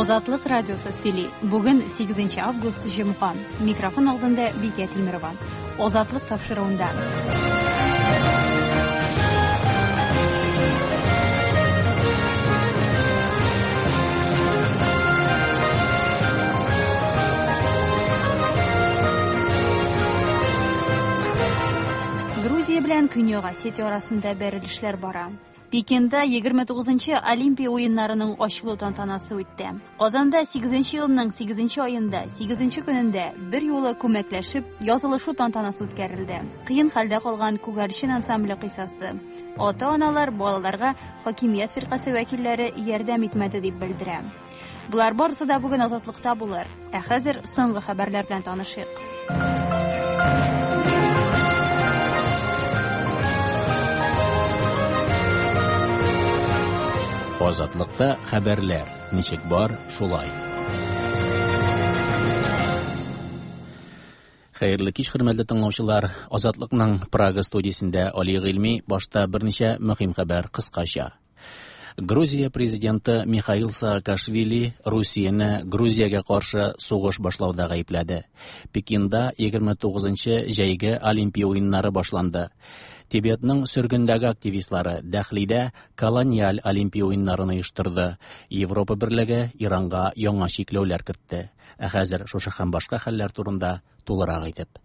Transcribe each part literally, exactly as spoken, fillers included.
Азатлык радиосы сөйли. Бүген сигезенче август җомга. Микрофон алдында Бикә Тимирова. Азатлык тапшыруында. Грузия белән Көньяк Осетия арасында бәрелешләр бара. Пекинда егерме тугызынчы Олимпия уеннарының ачылу тантанасы үтте. Казанда сигезенче елның сигезенче аенда, сигезенче көнендә бер юлы күмәкләшеп язылышу тантанасы үткәрелде. Кыен хәлдә калган Күгәрчен ансамбле кыйсасы. Ата-аналар балаларга хакимият фиркасе вәкилләре ярдәм итмәде дип белдерә. Булар барысы да бүген Азатлыкта булыр. Ә хәзер соңгы хәбәрләр белән танышыйк. Азатлыкта хәбәрләр ничек бар, шулай. Хәерле кич, хөрмәтле тыңлаучылар. Азатлыкның Прага студиясендә Али Гыйльми. Башта берничә мөһим хәбәр кыскача. Грузия президенты Михаил Саакашвили Русияне Грузиягә каршы сугыш башлауда гаепләде. Пекинда егерме тугызынчы җәйге Олимпия уеннары башланды. Тибетның сөргендәге активистлары Дәхлидә колониаль Олимпия уеннарын оештырды. Европа берлеге Иранга яңа чикләүләр кертте. Ә хәзер шушы һәм башка хәлләр турында тулырак әйтеп.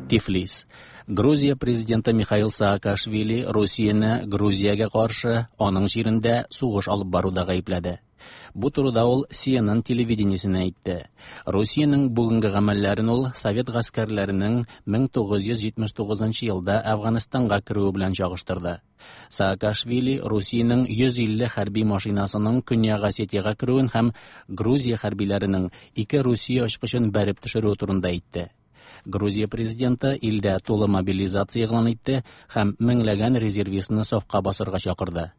Тифлис. Грузия президенты Михаил Саакашвили Русияне Грузиягә каршы аның җирендә сугыш алып баруда гаепләде. Бу турыда ул Си Эн Эн телевидениесенә әйтте. Русиянең бүгенге гамәлләрен ул совет гаскәрләренең мең тугыз йөз җитмеш тугызынчы елда Әфганстанга керүе белән чагыштырды. Саакашвили Русиянең йөз илле хәрби машинасының Көньяк Осетиягә керүен һәм Грузия хәрбиләренең ике Русия очкычын бәреп төшерүе турында әйтте. Грузия президенты илдә тулы мобилизация игълан итте һәм меңләгән резервистны сафка басырга чакырды.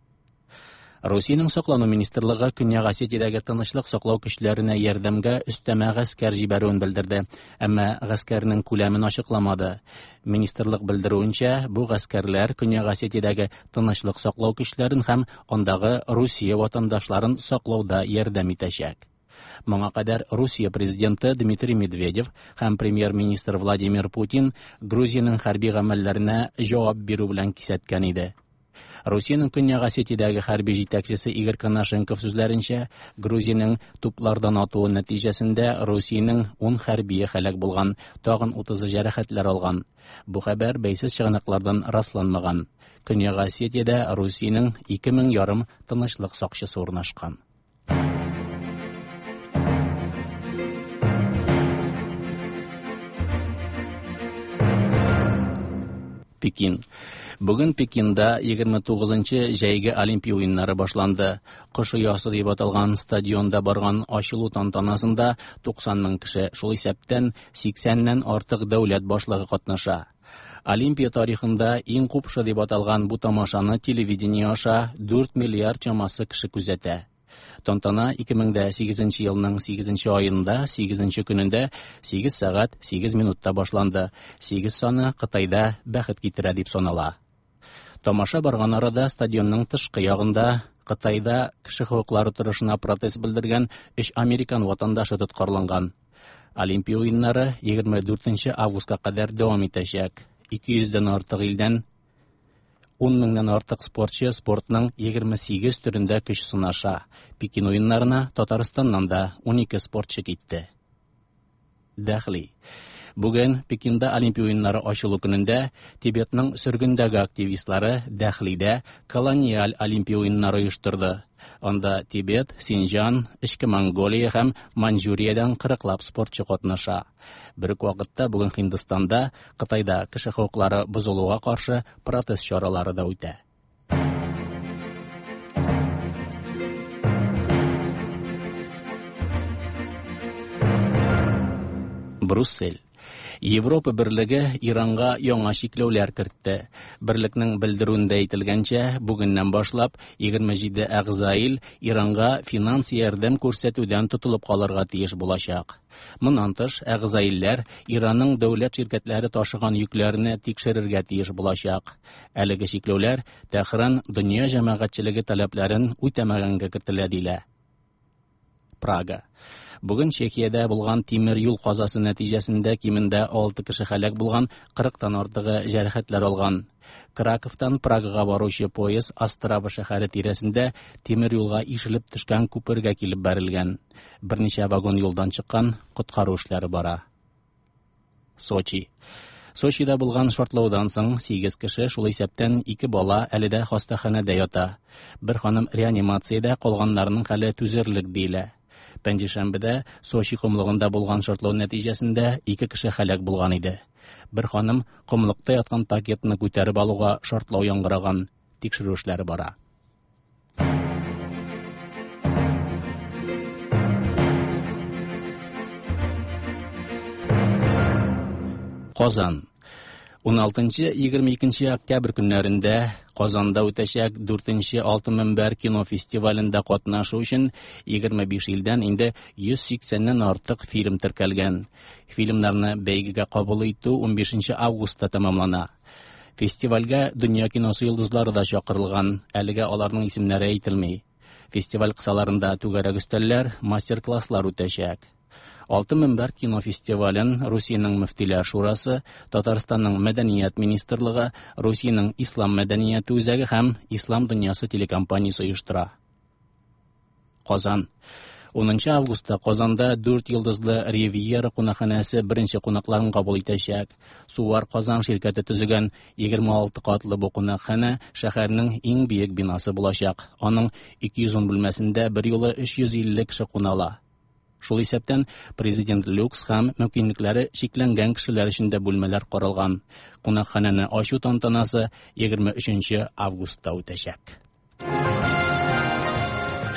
Русиянең саклану министрлыгы Көньяк Осетиядәге тынычлык саклау көчләренә ярдәмгә өстәмә гаскәр җибәрүен белдерде, әмма гаскәрнең күләмен ачыкламады. Министрлык белдерүенчә, бу гаскәрләр Көньяк Осетиядәге тынычлык саклау көчләрен һәм андагы Русия ватандашларын саклауда ярдәм итәчәк. Моңа кадәр Русия президенты Дмитрий Медведев һәм премьер-министр Владимир Путин Грузиянең хәрби гамәлләренә җавап бирү белән кисәткән иде. Русиянең Көньяк Осетиядәге хәрби җитәкчесе Игорь Конашенков сүзләренчә, Грузиянең туплардан атуы нәтиҗәсендә Русиянең ун хәрбие һәлак булган, тагын утызы җәрәхәтләр алган. Бу хәбәр бәйсез чыганаклардан расланмаган. Көньяк Осетиядә Русиянең ике мең ярым тынычлык сакчысы урнашкан. Пекин. Бүген Пекинда егерме тугызынчы җәйге Олимпия уеннары башланды. Кош оясы дип аталган стадионда барган ачылу тантанасында туксан мең кеше, шул исәптән сиксәннән артык дәүләт башлыгы катнаша. Олимпия тарихында иң купшы дип аталган бу тамашаны телевидение аша дүрт миллиард чамасы кеше күзәтә. Тантана ике мең дә сигезенче елның сигезенче аенда, сигезенче көнендә сигез сәгать сигез минутта башланды. Сигез саны Кытайда бәхет китерә дип санала. Тамаша барган арада стадионның тышкы ягында Кытайда кеше хокуклары торышына протест белдергән өч американ ватандашы тоткарланган. Олимпия уеннары егерме дүртенче августка кадәр дәвам итәчәк. Ике йөздән артык илдән ун меңнән артык спортчы спортның егерме сигез төрендә көч сынаша. Пекин уеннарына Татарстаннан да унике спортчы китте. Дәхли. Бүген Пекинда Олимпия уеннары ачылу көнендә Тибетның сөргендәге активистлары Дәхлидә колониаль Олимпия уеннары оештырды. Анда Тибет, Синҗан, Эчке Монголия һәм Маньчжуриядән кырыклап спортчы катнаша. Бер үк вакытта бүген Һиндстанда, Кытайда кеше хокуклары бозылуга каршы протест чаралары да үтә. Брюссель. Европа берлеге Иранга яңа чикләүләр кертте. Берлекнең белдерүендә әйтелгәнчә, бүгеннән башлап егерме җиде әгъза ил Иранга финанс ярдәм күрсәтүдән тотылып калырга тиеш булачак. Моннан тыш, әгъза илләр Иранның дәүләт ширкәтләре ташыган йөкләрне тикшерергә тиеш булачак. Әлеге чикләүләр Тәһран дөнья җәмәгатьчелеге таләпләрен үтәмәгәнгә кертелә дилә. Прага. Бүген Чехиядә булган тимер юл казасы нәтиҗәсендә кимендә алты кеше һәлак булган, кырыктан артыгы җәрәхәтләр алган. Краковтан Прагага баручы поезд Острава шәһәре тирәсендә тимер юлга ишелеп төшкән күпергә килеп бәрелгән. Берничә вагон юлдан чыккан, коткару эшләре бара. Сочи. Сочида булган шартлаудан соң сигез кеше, шул исәптән ике бала әле дә хастаханәдә ята. Бер ханым реанимациядә, калганнарының хәле түзерлек диелә. Пәнҗешәмбедә Сочи комлыгында булган шартлау нәтиҗәсендә ике кеше һәлак булган иде. Бер ханым комлыкта яткан пакетны күтәреп алуга шартлау яңгыраган. Тикшерү эшләре бара. Казан. ун алтынчы егерме икенче октябрь көннәрендә Казанда үтәчәк дүртенче Алтын Мөнбәр кино фестивалендә катнашу өчен егерме биш илдән инде йөз сиксәннән артык фильм теркәлгән. Фильмнарны бәйгегә кабул итү унбишенче августта тәмамлана. Фестивальгә дөнья киносы йолдызлары да чакырылган, әлегә аларның исемнәре әйтелми. Фестиваль кысаларында түгәрәк өстәлләр, мастер-класслар үтәчәк. Алтын Мөнбәр кино фестивален Русиянең Мөфтиләр шурасы, Татарстанның Мәдәният министрлыгы, Русиянең Ислам мәдәнияте үзәге һәм Ислам дөньясы телекомпаниясе оештыра. Казан. Унынчы августта Казанда дүрт йолдызлы Ривьера кунакханәсе беренче кунакларын кабул итәчәк. Сувар Казан ширкәте төзегән егерме алты катлы бу кунакханә шәһәрнең иң биек бинасы булачак. Аның ике йөз ун бүлмәсендә бер юлы өч йөз илле кеше куна ала. Шул исәптән президент люкс һәм мөмкинлекләре чикләнгән кешеләр өчен дә бүлмәләр каралган. Кунакханәне ачу тантанасы егерме өченче августта үтәчәк.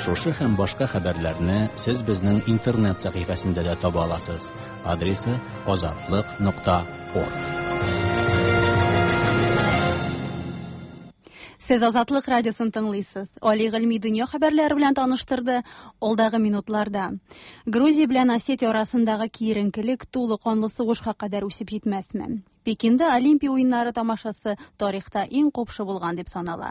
Шушы һәм башка хәбәрләрне сез безнең интернет сәхифәсендә дә таба аласыз. Адресы азатлык нокта орг. Сез Азатлык радиосын тыңлыйсыз. Али Гыйльми дөнья хәбәрләре белән таныштырды алдагы минутларда. Грузия белән Осетия арасындагы киеренкелек тулы канлы сугышка кадәр үсеп җитмәсме? Пекинда Олимпия уеннары тамашасы тарихта иң купшы булган дип санала.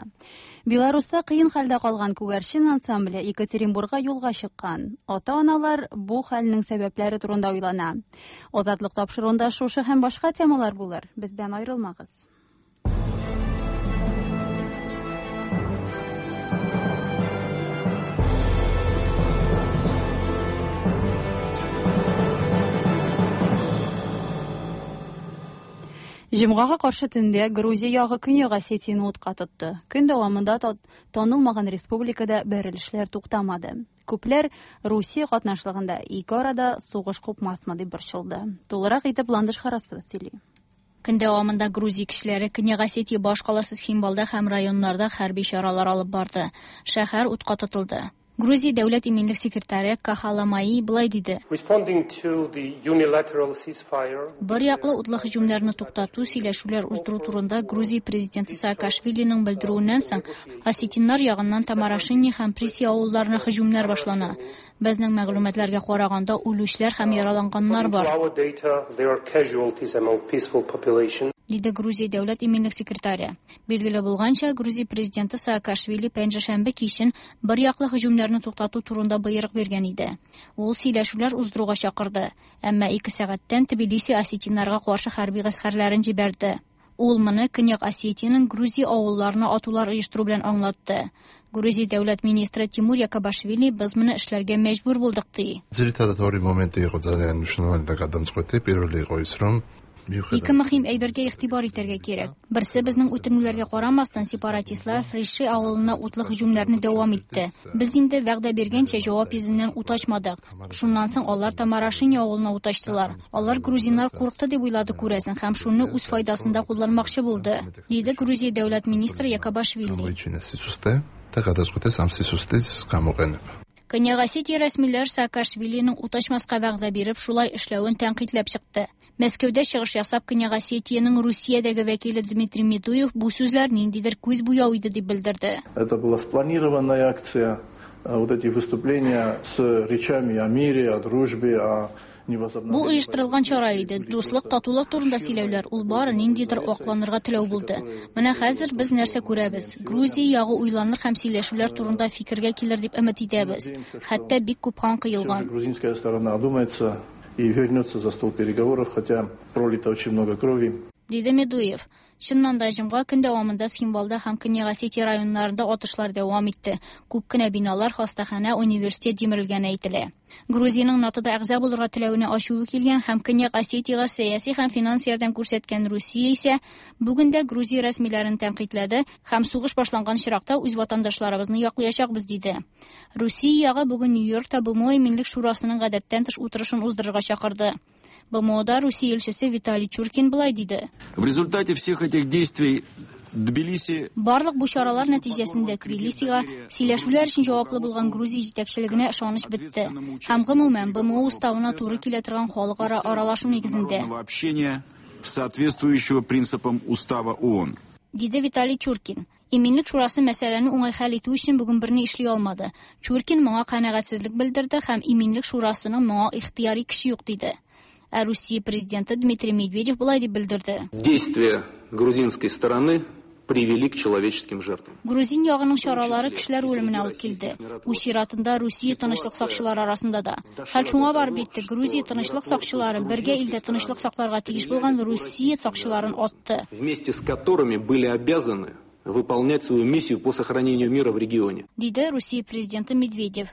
Беларуста кыен хәлдә калган күгәрчен ансамбле Екатеринбургка юлга чыккан. Ата-аналар бу хәлнең сәбәпләре турында уйлана. Азатлык тапшыруында шушы һәм башка темалар булыр. Бездән аерылмагыз. Җомгага каршы төндә Грузия ягы Көньяк Осетияне утка тотты. Көн дәвамында танылмаган республикада бәрелешләр туктамады. Күпләр Русия катнашлыгында ике арада сугыш купмасмы дип борчылды. Тулырак итеп Ландыш Харасова сөйли. Көн дәвамында Грузия кешеләре Көньяк Осетия башкаласы Цхинвалда һәм районнарда хәрби чаралар алып барды. Шәһәр утка тотылды. Грузия дәүләт иминлек секретаре Кахаламаи былай диде. Бер яклы утлы һөҗүмнәрне туктату, сөйләшүләр уздыру турында Грузия президенты Саакашвилиның белдерүеннән соң осетиннар ягыннан Тамарашини һәм Приси авылларына һөҗүмнәр башлана. Безнең мәгълүматларга караганда үлүчеләр һәм яраланганнар бар. Диде Грузия дәүләт иминлек секретаре. Билгеле булганча, Грузия президенты Саакашвили пәнҗешәмбе кичен бер яклы һөҗүмнәрне туктату турында боерык биргән иде. Ул сөйләшүләр уздыруга чакырды, әмма ике сәгатьтән Тбилиси осетиннарга каршы хәрби гаскәрләрен җибәрде. Ул моны Көньяк Осетиянең Грузия авылларына атулар оештыру белән аңлатты. Грузия дәүләт министры Тимур Якобашвили без моны эшләргә мәҗбүр булдык ди. Ике мөһим әйбергә игътибар итәргә кирәк. Берсе, безнең үтенүләргә карамастан, сепаратистлар Фриши авылына утлы һөҗүмнәрне дәвам итте. Без инде вәгъдә биргәнчә җавап йөзеннән ут ачмадык. Шуннан соң алар Тамарашини авылына ут ачтылар. Алар грузиннар курыкты дип уйлады күрәсең һәм шуны үз файдасында кулланмакчы булды, диде Грузия дәүләт министры Якобашвили. Көньяк Осетия рәсмиләр Саакашвилиның ут ачмаска вәгъдә биреп шулай эшләвен тәнкыйтьләп чыкты. Мәскәүдә чыгыш ясап Көньяк Осетиянең Русиядәге вәкиле Дмитрий Медуев бу сүзләр ниндидер күз буяу иде дип белдерде. Это была спланированная акция, вот эти выступления с речами о мире, о дружбе, о Бу оештырылган чара иде. Дуслык, татулык турында сөйләүләр ул бары ниндидер акланырга теләү булды. Менә хәзер без нәрсә күрәбез? Грузия ягы уйланыр һәм сөйләшүләр турында фикергә килер дип өмет итәбез. Хәтта бик күп кан кыелган. Грузинская сторона одумается и вернется за стол переговоров, хотя пролито очень много крови. Диде Медуев. Чыннан да җомга көн дәвамында Цхинвалда һәм Көньяк Осетия районнарында атышлар дәвам итте. Күп кенә биналар, хастаханә, университет җимерелгәне әйтелә. Грузиянең НАТОда әгъза булырга теләвенә ачуы килгән һәм Көньяк Осетиягә сәяси һәм финанс ярдәм күрсәткән Русия исә бүген дә Грузия рәсмиләрен тәнкыйтьләде һәм сугыш башланган чиракта үз ватандашларыбызны яклаячакбыз диде. Русия ягы бүген Нью-Йоркта Б М О Иминлек шурасының гадәттән тыш утырышын уздырырга чакырды. Б М Ода Русия илчесе Виталий Чуркин былай диде. В результате всех этих действий Тбилиси Барлык бу чаралар нәтиҗәсендә Тбилисига сөйләшүләр өчен җаваплы булган Грузия җитәкчелегенә ышаныч бетте. Һәм гомумән Б М О уставына туры килә торган халыкара аралашу нигезендә. общения, соответствующего принципам устава О О Н. Диде Виталий Чуркин. Иминлек шурасы мәсьәләне уңай хәл итү өчен бүген берни эшли алмады. Чуркин моңа канәгатьсезлек белдерде һәм Иминлек шурасының моңа ихтыяри көче юк диде. Ә Русия президенты Дмитрий Медведев болай дип белдерде. Действия грузинской стороны привели к человеческим жертвам. Грузин ягының чаралары кешеләр үлеменә алып килде. Үз чиратында Русия тынычлык сакчылары арасында да. Хәл шуңа барып җитте. Грузия тынычлык сакчылары бергә илдә тынычлык сакларга тиеш булган Русия сакчыларын атты. Вместе с которыми были обязаны выполнять свою миссию по сохранению мира в регионе. Диде Русия президенты Медведев.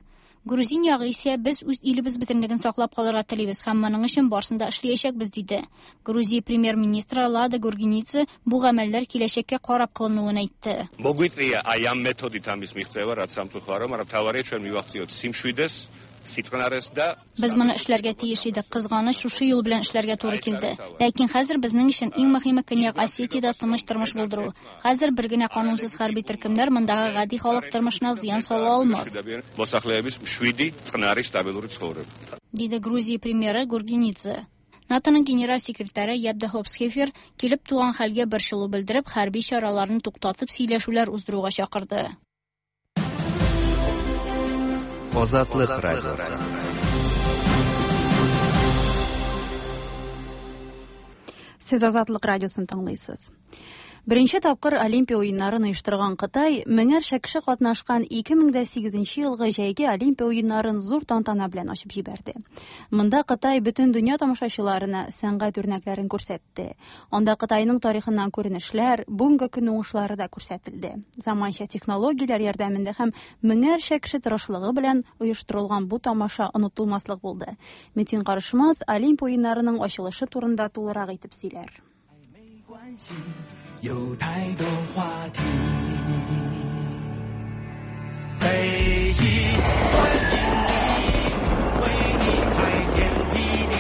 Грузин ягы исә без үз илебез бөтенлеген саклап калырга телибез һәм моның өчен барысын да эшләячәкбез диде. Грузия премьер-министры Лада Гургенидзе бу гамәлләр киләчәккә карап кылынуын әйтте. მოგვიწია აი ამ მეთოდით ამის მიღწევა, რაც სამწუხარო, მაგრამ მთავარია ჩვენ მივახციოთ სიმშვიდეს, სიწყნარეს და Без моны эшләргә тиеш идек. Кызганыч, шушы юл белән эшләргә туры килде. Ләкин хәзер безнең өчен иң мөһиме Көньяк Осетиядә тыныч тормыш булдыру. Хәзер бер генә канунсыз хәрби төркемнәр мондагы гади халык тормышына зыян сала алмас. მოსახლეების მშვიდი, წყნარი, სტაბილური ცხოვრება. Диде Грузия премьеры Гургенидзе. НАТОның генераль секретаре Яп де Хоп Схефер килеп туган хәлгә борчылу белдереп, хәрби чараларны туктатып сөйләшүләр уздыруга чакырды. Озатлык радиосы. Сез Азатлык радиосын тыңлыйсыз. Беренче тапкыр Олимпия уеннарын оештырган Кытай меңәрчә кеше катнашкан ике мең дә сигезенче елгы җәйге Олимпия уеннарын зур тантана белән ачып җибәрде. Монда Кытай бөтен дөнья тамашачыларына сәнгать үрнәкләрен күрсәтте. Анда Кытайның тарихыннан күренешләр, бүгенге көн уңышлары да күрсәтелде. Заманча технологияләр ярдәмендә һәм меңәрчә кеше тырышлыгы белән оештырылган бу тамаша онытылмаслык булды. Метин Карышмаз Олимпия уеннарының ачылышы турында тулырак итеп сөйләр. 有太多话题。北极欢迎你，为你开天辟地，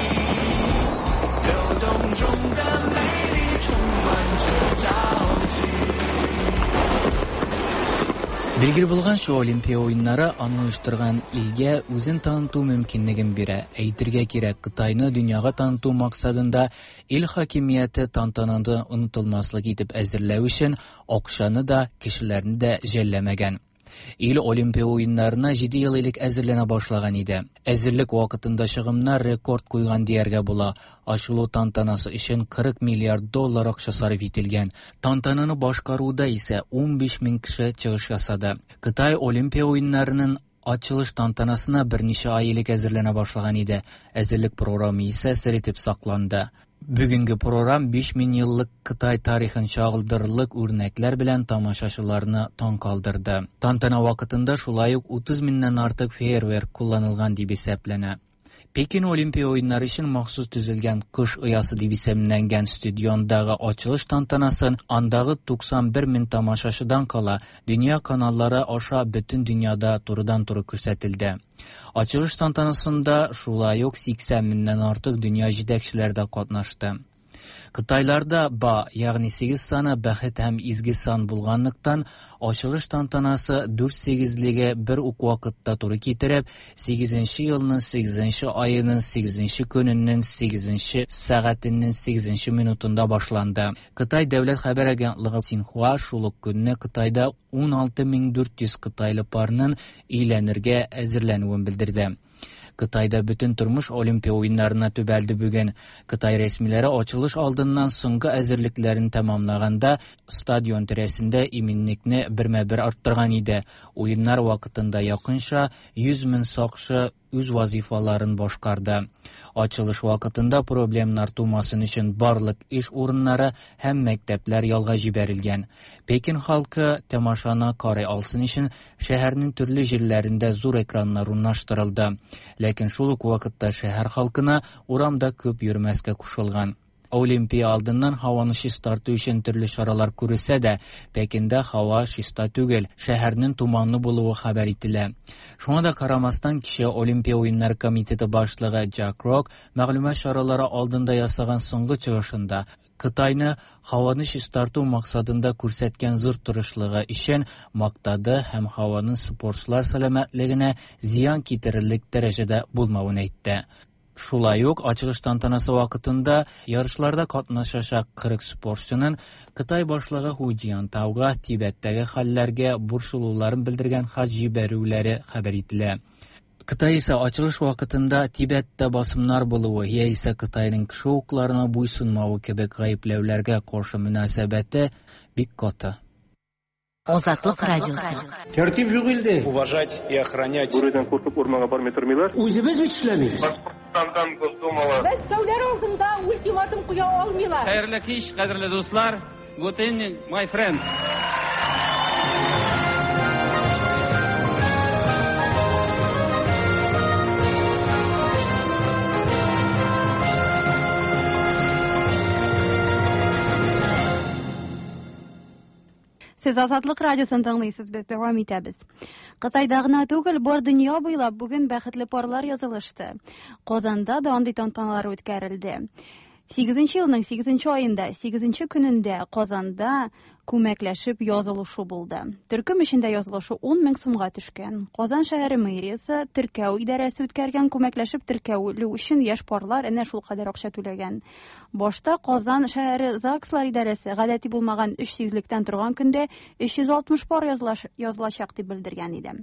流动中的美丽充满着朝气。 Билгеле булганча, Олимпия уеннары аны оештырган илгә үзен таныту мөмкинлеген бирә. Әйтергә кирәк, Кытайны дөньяга таныту максатында ил хакимияте тантананы онытылмаслык итеп әзерләү өчен акчаны да, кешеләрне дә жәлләмәгән. Ил Олимпия уеннарына җиде ел элек әзерләнә башлаган иде. Әзерлек вакытында чыгымнар рекорд куйган дияргә була. Ачылу тантанасы өчен кырык миллиард доллар акча сарыф ителгән. Тантананы башкаруда исә унбиш мең кеше чыгыш ясады. Кытай Олимпия уеннарының ачылыш тантанасына берничә ай элек әзерләнә башлаган иде. Әзерлек програмы исә сер итеп сакланды. Бүгенге програм биш мең еллык Кытай тарихын чагылдырырлык үрнәкләр белән тамашачыларны таң калдырды. Тантана вакытында шулай ук утыз меңнән артык фейерверк кулланылган дип исәпләнә. Пекин Олимпия уеннары өчен махсус төзелгән Кыш оясы дип исемләнгән стадиондагы ачылыш тантанасын андагы туксан бер мең тамашачыдан кала дөнья каналлары аша бөтен дөньяда турыдан-туры күрсәтелде. Ачылыш тантанасында шулай ук сиксән меңнән артык дөнья җитәкчеләре дә катнашты. Кытайларда ба, ягъни сигез саны бәхет һәм изге сан булганлыктан, ачылыш тантанасы дүрт сигезлеге бер үк вакытта туры китереп, сигезенче елның сигезенче аеның сигезенче көненең сигезенче сәгатенең сигезенче минутында башланды. Кытай дәүләт хәбәр агентлыгы Синхуа шул ук көнне Кытайда ун алты мең дүрт йөз кытайлы парның өйләнергә әзерләнүен белдерде. Кытайда бөтен тормыш Олимпия уеннарына төбәлде бүген. Кытай рәсмиләре ачылыш алдыннан соңгы әзерлекләрен тәмамлаганда стадион тирәсендә иминлекне бермә-бер арттырган иде. Уеннар вакытында якынча йөз мең сакчы үз вазифаларын башкарды. Ачылыш вакытында проблемнар тумасын өчен барлык эш урыннары һәм мәктәпләр ялга җибәрелгән. Пекин халкы тамашаны карый алсын өчен шәһәрнең төрле җирләрендә зур экраннар урнаштырылды. Ләкин шул ук вакытта шәһәр халкына урамда күп йөрмәскә кушылган. Олимпия алдыннан һаваны чистарту өчен төрле чаралар күрелсә дә, Пекинда һава чиста түгел, шәһәрнең туманлы булуы хәбәр ителә. Шуңа да карамастан, кичә Олимпия уеннары комитеты башлыгы Джак Рок мәгълүмат чаралары алдында ясаган соңгы чыгышында Кытайны һаваны чистарту максатында күрсәткән зур тырышлыгы өчен мактады һәм һаваның спортчылар сәламәтлегенә зыян китерерлек дәрәҗәдә булмавын әйтте. Шулай ук ачылыш тантанасы вакытында ярышларда катнашачак кырык спортчының Кытай башлыгы Ху Цзиньтауга Тибеттәге хәлләргә борчылуларын белдергән хат җибәрүләре хәбәр ителә. Кытай исә ачылыш вакытында Тибеттә басымнар булуы яисә Кытайның кеше хокукларына буйсынмавы кебек гаепләүләргә каршы мөнәсәбәте бик каты. Азатлык радиосы. Тәртип юк илдә. Уважать и охранять. Бүредән куркып урманга бармый тормыйлар. Үзебез бит эшләмибез. Башкортстандан Госдумала. Мәскәүләр алдында ультиматум куя алмыйлар. Хәерле кич, кадерле дуслар. Good evening, my friends. Сез Азатлык радиосын тыңлыйсыз, без дәвам итәбез. Кытайда гына түгел, бар дөнья буйлап бүген бәхетле парлар язылышты. Казанда да андый тантаналар үткәрелде. Сигезенче елның сигезенче аенда, сигезенче көнендә Казанда күмәкләшеп язылышу булды. Төркем эчендә язылышу ун мең сумга төшкән. Казан шәһәре мэриясе теркәү идарәсе үткәргән күмәкләшеп теркәүлү өчен яшь парлар әнә шул кадәр акча түләгән. Башта Казан шәһәре ЗАГСлар идарәсе гадәти булмаган өч сигезлектән торган көндә өч йөз алтмыш пар язылачак дип белдергән иде.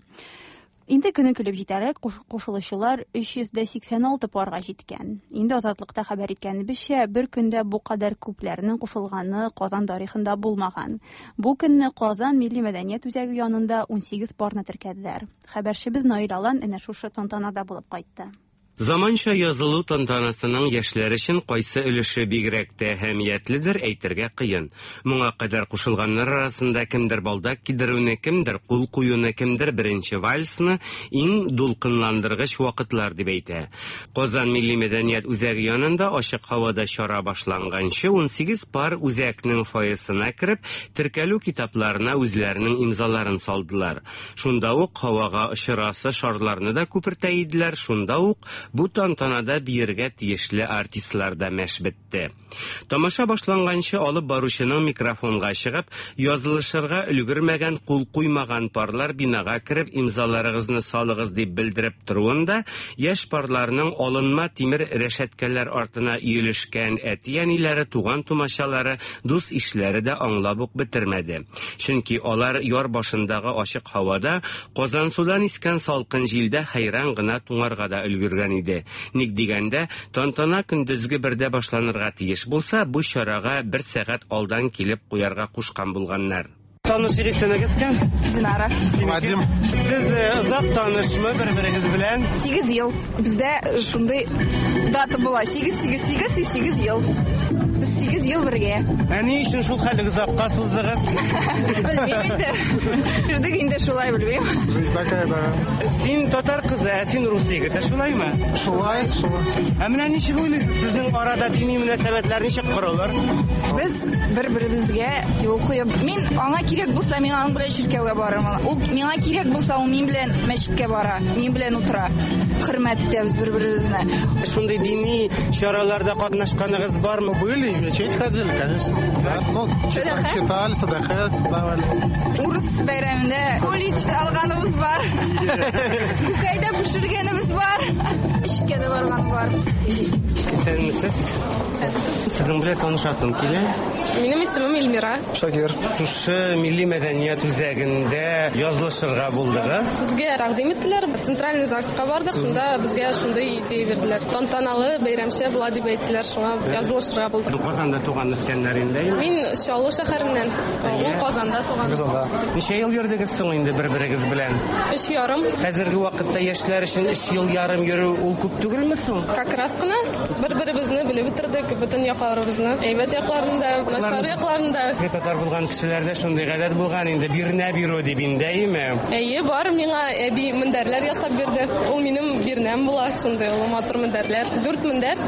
Инде көне килеп җитәрәк кушылучылар өч йөз сиксән алты парга җиткән. Инде Азатлыкта хәбәр иткәнебезчә, бер көндә бу кадәр күпләрнең кушылганы Казан тарихында булмаган. Бу көнне Казан милли мәдәният үзәге янында ун сигез парны теркәделәр. Хәбәрчебез Наил Алан әнә шушы тантанада булып кайтты. Заманча язылу тантанасының яшьләр өчен кайсы өлеше бигрәк тә әһәмиятледер әйтергә кыен. Моңа кадәр кушылганнар арасында кемдер балдак кидерүне, кемдер кул куюны, кемдер беренче вальсны иң дулкынландыргыч вакытлар дип әйтә. Казан милли мәдәният үзәге янында ачык һавада чара башланганчы ун сигез пар үзәкнең фойесына кереп, теркәлү китапларына үзләренең имзаларын салдылар. Шунда ук һавага очырасы шарларны да күпертә иделәр, шунда ук бу тантанада биергә тиешле артистлар да мәш бетте. Тамаша башланганчы алып баручының микрофонга чыгып, язылышырга өлгермәгән, кул куймаган парлар бинага кереп имзаларыгызны салыгыз дип белдереп торуында, яшь парларның алынма тимер рәшәткәләр артына өелешкән әти-әниләре, туган тумачалары, дус ишләре дә аңлап ук бетермәде. Чөнки алар яр башындагы ачык һавада Казансудан искән салкын җилдә хәйран гына туңарга да өлгергән иде. Ник дигәндә, тантана көндезге бердә башланырга тиеш булса, бу чарага бер сәгать алдан килеп куярга кушкан булганнар. Таныш исемегез кем? Динара. Вадим. Сез озак танышмы бер-берегез белән? Сигез ел. Бездә шундый дата була. Сигез, сигез, сигез, сигез ел. Без сигез ел бергә. Ә ни өчен шул хәлле озакка суздыгыз? Белмим инде. Йөрдек инде шулай, белмим. Жизнь такая, да. Син татар кызы, ә син рус егете, шулаймы? Шулай, шулай. Ә менә ничек уйлыйсыз, сезнең арада дини мөнәсәбәтләр ничек корылыр? Без бер-беребезгә юл куеп, мин аңа кирәк булса, мин аның белән чиркәүгә барырмын. Ул миңа кирәк булса, ул мин белән мәчеткә бара, мин белән утыра. Хөрмәт итәбез бер-беребезне. Шундый дини чараларда катнашканыгыз бармы? Были, Ходили, в мечеть ходили, конечно. Да. Ну, читали, читали, садака давали. Урыс бәйрәмендә кулич алганыбыз бар. Күкәйдә пешергәнебез бар. Ишкә дә барган бар. Исәнмесез. Сезнең белән танышасым килә. Минем исемем Эльмира. Шакир. Шушы милли мәдәният үзәгендә язылышырга булдыгыз. Безгә тәкъдим иттеләр. Центральный ЗАГСка бардык. Шунда безгә шундый идея бирделәр. Тантаналы бәйрәмчә була дип әйттеләр. Шуңа язылышырга булдык. Казанда туган үскәннәр инде. Мин Чаллы шәһәреннән. Ул Казанда туган. Казанда. Ничә ел йөрдегез соң инде бер-берегез белән? Өч ярым. Хәзерге вакытта яшьләр өчен өч ел ярым йөрү ул күп түгелме соң? Как раз кына бер-беребезне белеп бетердек, бөтен якларыбызны. Әйбәт якларын да, начар якларын да. Татар булган кешеләрдә шундый гадәт булган инде, бирнә бирү дип инде, әйеме? Әйе, бар, миңа әби мендәрләр ясап бирде. Ул минем бирнәм була, шундый ул матур мендәрләр. Дүрт мендәр,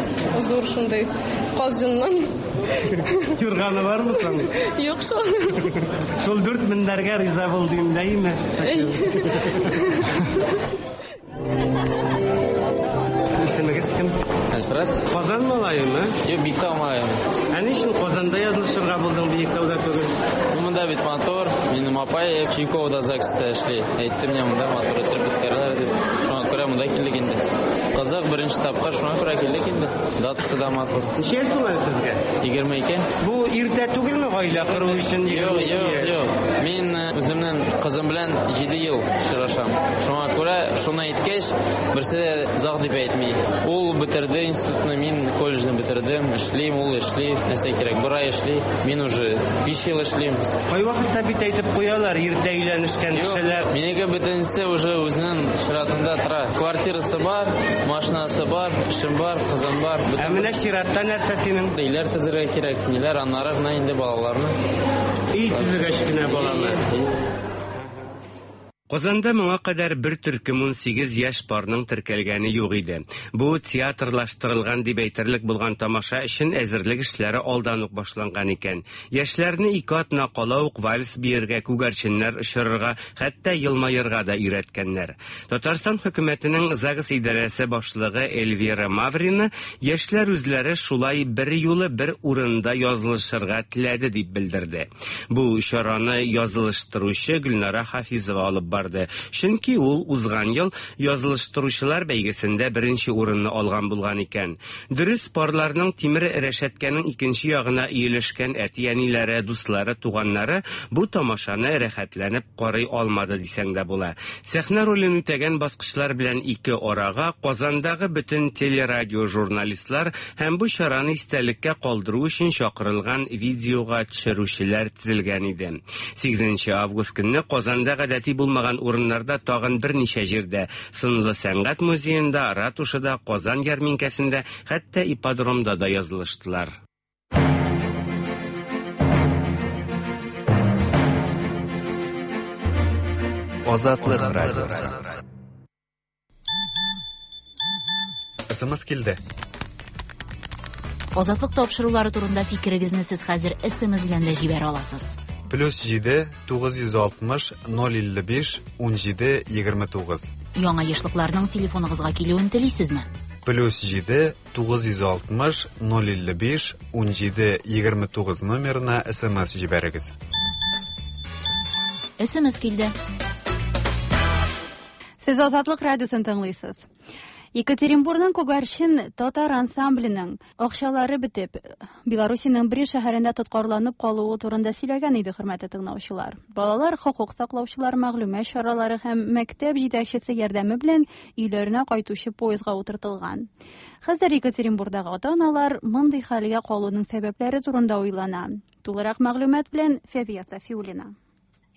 зур шундый каз җоннан. Юрганы бармы соң? Юк шул. Шул дүрт мендәргә риза булды инде, әйеме? Исемегез кем? Альфред. Казан малаемы? Юк, Биектау малаем. Ә ни өчен Казанда язылышырга булдың, Биектауда түгел? Ну, монда бит матур. Минем апай Чайковода ЗАГСта эшли. Әйтте миңа, монда матур итеп үткәрәләр дип. Шуңа күрә монда килдек инде. Казак беренче тапкыр, шуңа күрә килдек инде. Датасы да матур. Ничә яшь туган сезгә? Егерме ике. Бу иртә түгелме гаилә кору өчен? Юк, юк, юк. Мин үземнең кызым белән җиде ел очрашам. Шуңа күрә шуны әйткәч, берсе дә озак дип әйтми. Ул бетерде институтны, мин колледжны бетердем, эшлим, ул эшли, нәрсә кирәк, бер ай эшли, мин уже биш ел эшлим. Кайвакытта бит әйтеп куялар, иртә өйләнешкән кешеләр. Минеке бөтенесе уже үзенең чиратында тора. Квартирасы бар, машинасы бар, эшем бар, кызым бар. Ә менә чиратта нәрсә синең? Өйләр төзергә кирәк, ниләр, аннары гына инде балаларны. Өй төзегәч кенә баланы. Казанда моңа кадәр бер төркем унсигез яшь парның теркәлгәне юк иде. Бу театрлаштырылган дип әйтерлек булган тамаша өчен әзерлек эшләре алдан ук башланган икән. Яшьләрне ике атна кала ук вальс биергә, күгәрченнәр очырырга, хәтта елмаерга да өйрәткәннәр. Татарстан хөкүмәтенең ЗАГС идарәсе башлыгы Эльвира Маврина яшьләр үзләре шулай бер юлы бер урында язылышырга теләде дип белдерде. Бу чараны язылыштыручы Гөлнара Хафизова алып барды. Чөнки ул узган ел язылыштыручылар бәйгесендә беренче урынны алган булган икән. Дөрес, парларның тимер рәшәткәнең икенче ягына иелешкән әти-әниләре, дуслары, туганнары бу тамашаны рәхәтләнеп карый алмады дисәң дә була. Сәхнә ролен үтәгән баскычлар белән ике арага Казандагы бөтен телерадио журналистлар һәм бу чараны истәлеккә калдыру өчен чакырылган видеога төшерүчеләр тезелгән иде. сигезенче август көнне Казанда гадәти булмаган урыннарда тагын берничә җирдә, Сынлы сәнгать музеенда, ратушада, Казан ярминкәсендә, хәтта ипподромда да язылыштылар. Азатлык радиосы. СМС килде. Азатлык тапшырулары турында фикерегезне сез хәзер СМС белән дә җибәрә аласыз. Плюс җиде тугыз йөз алтмыш ноль илле биш ун җиде егерме тугыз. Яңа ешлыкларның телефоныгызга килүен телисезме? Плюс җиде тугыз йөз алтмыш ноль илле биш ун җиде егерме тугыз номерына СМС җибәрегез. СМС килде. Сез Азатлык радиосын тыңлыйсыз. Екатеринбургның Күгәрчен татар ансамбленең акчалары бетеп, Белоруссиянең Брест шәһәрендә тоткарланып калуы турында сөйләгән иде хөрмәтле тыңлаучылар. Балалар хокук саклаучылар мәгълүмат чаралары һәм мәктәп җитәкчесе ярдәме белән өйләренә кайтучы поездга утыртылган. Хәзер Екатеринбургдагы ата-аналар мондый хәлгә калуның сәбәпләре турында уйлана. Тулырак мәгълүмат белән Фәвия Сафиуллина.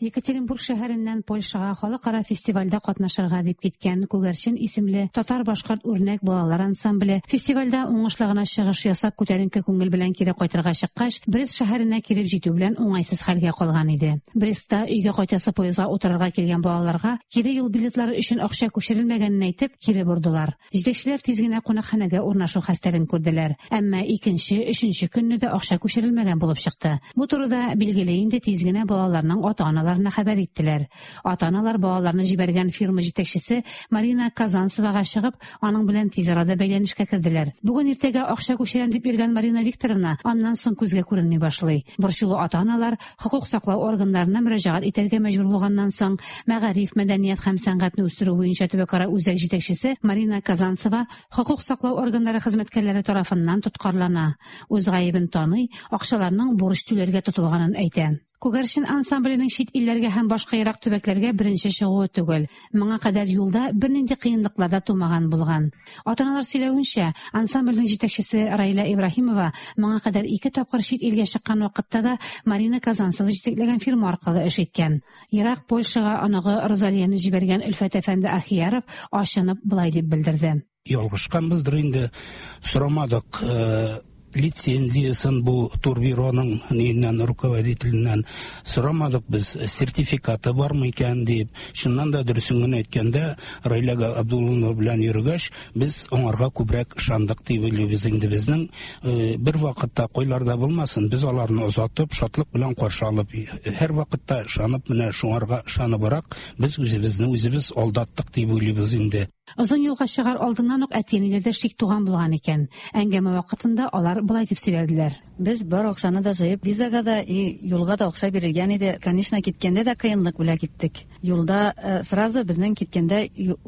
Екатеринбург шәһәреннән Польшага халыкара фестивальдә катнашырга дип киткән Күгәрчен исемле татар-башкорт үрнәк балалар ансамбле фестивальдә уңышлы гына чыгыш ясап күтәренке күңел белән кире кайтырга чыккач, Брест шәһәренә килеп җитү белән уңайсыз хәлгә калган иде. Брестта өйгә кайтасы поездга утырырга килгән балаларга кире юл билетлары өчен акча күчерелмәгәнен әйтеп, кире бордылар. Җитәкчеләр тиз генә кунакханәгә урнашу хәстәрен күрделәр. Әмма икенче, өченче көнне дә акча күчерелмәгән булып чыкты. Бу турыда билгеле инде тиз генә балаларның ата-аналары ата-аналарына хәбәр иттеләр. Ата-аналар балаларны җибәргән фирма җитәкчесе Марина Казанцевага чыгып, аның белән тиз арада бәйләнешкә керделәр. Бүген иртәгә акча күчерәм дип йөргән Марина Викторовна аннан соң күзгә күренми башлый. Борчулы ата-аналар хокук саклау органнарына мөрәҗәгать итәргә мәҗбүр булганнан соң, мәгариф, мәдәният һәм сәнгатьне үстерү буенча төбәкара үзәк җитәкчесе Марина Казанцева хокук саклау органнары хезмәткәрләре тарафыннан тоткарлана. Үз гаебен таный, акчаларның бурыч түләргә тотылганын әйтә. Күгәрчен ансамбленең чит илләргә һәм башка ерак төбәкләргә беренче чыгуы түгел. Моңа кадәр юлда бернинди кыенлыклар да тумаган булган. Ата-аналар сөйләвенчә, ансамбльнең җитәкчесе Раилә Ибраһимова моңа кадәр ике тапкыр чит илгә чыккан вакытта да Марина Казанцева җитәкләгән фирма аркылы эш иткән. Ерак Польшага оныгы Розалияне җибәргән Өлфәт әфәнде Ахияров ачынып болай дип белдерде. Ялгышканбыздыр инде, сорамадык лицензиясын бу турбюроның ниннән руководителеннән сорамадык без, сертификаты бармы икән дип. Чыннан да дөресен генә әйткәндә, Раилә Абдулловна белән йөргәч, без аңарга күбрәк ышандык дип уйлыйбыз инде. Безнең бер вакытта кайларда булмасын, без аларны озатып, шатлык белән каршы алып, һәр вакытта ышанып, менә шуңарга ышаныбрак без үзебезне үзебез алдаттык дип уйлыйбыз инде. Озын юлга чыгар алдыннан ук әти-әниләрдә шик туган булган икән. Әңгәмә вакытында алар болай дип сөйләделәр. Без бар акчаны да җыеп, визага да и юлга да акча бирелгән иде. Конечно, киткәндә дә кыенлык белән киттек. Юлда сразу безнең киткәндә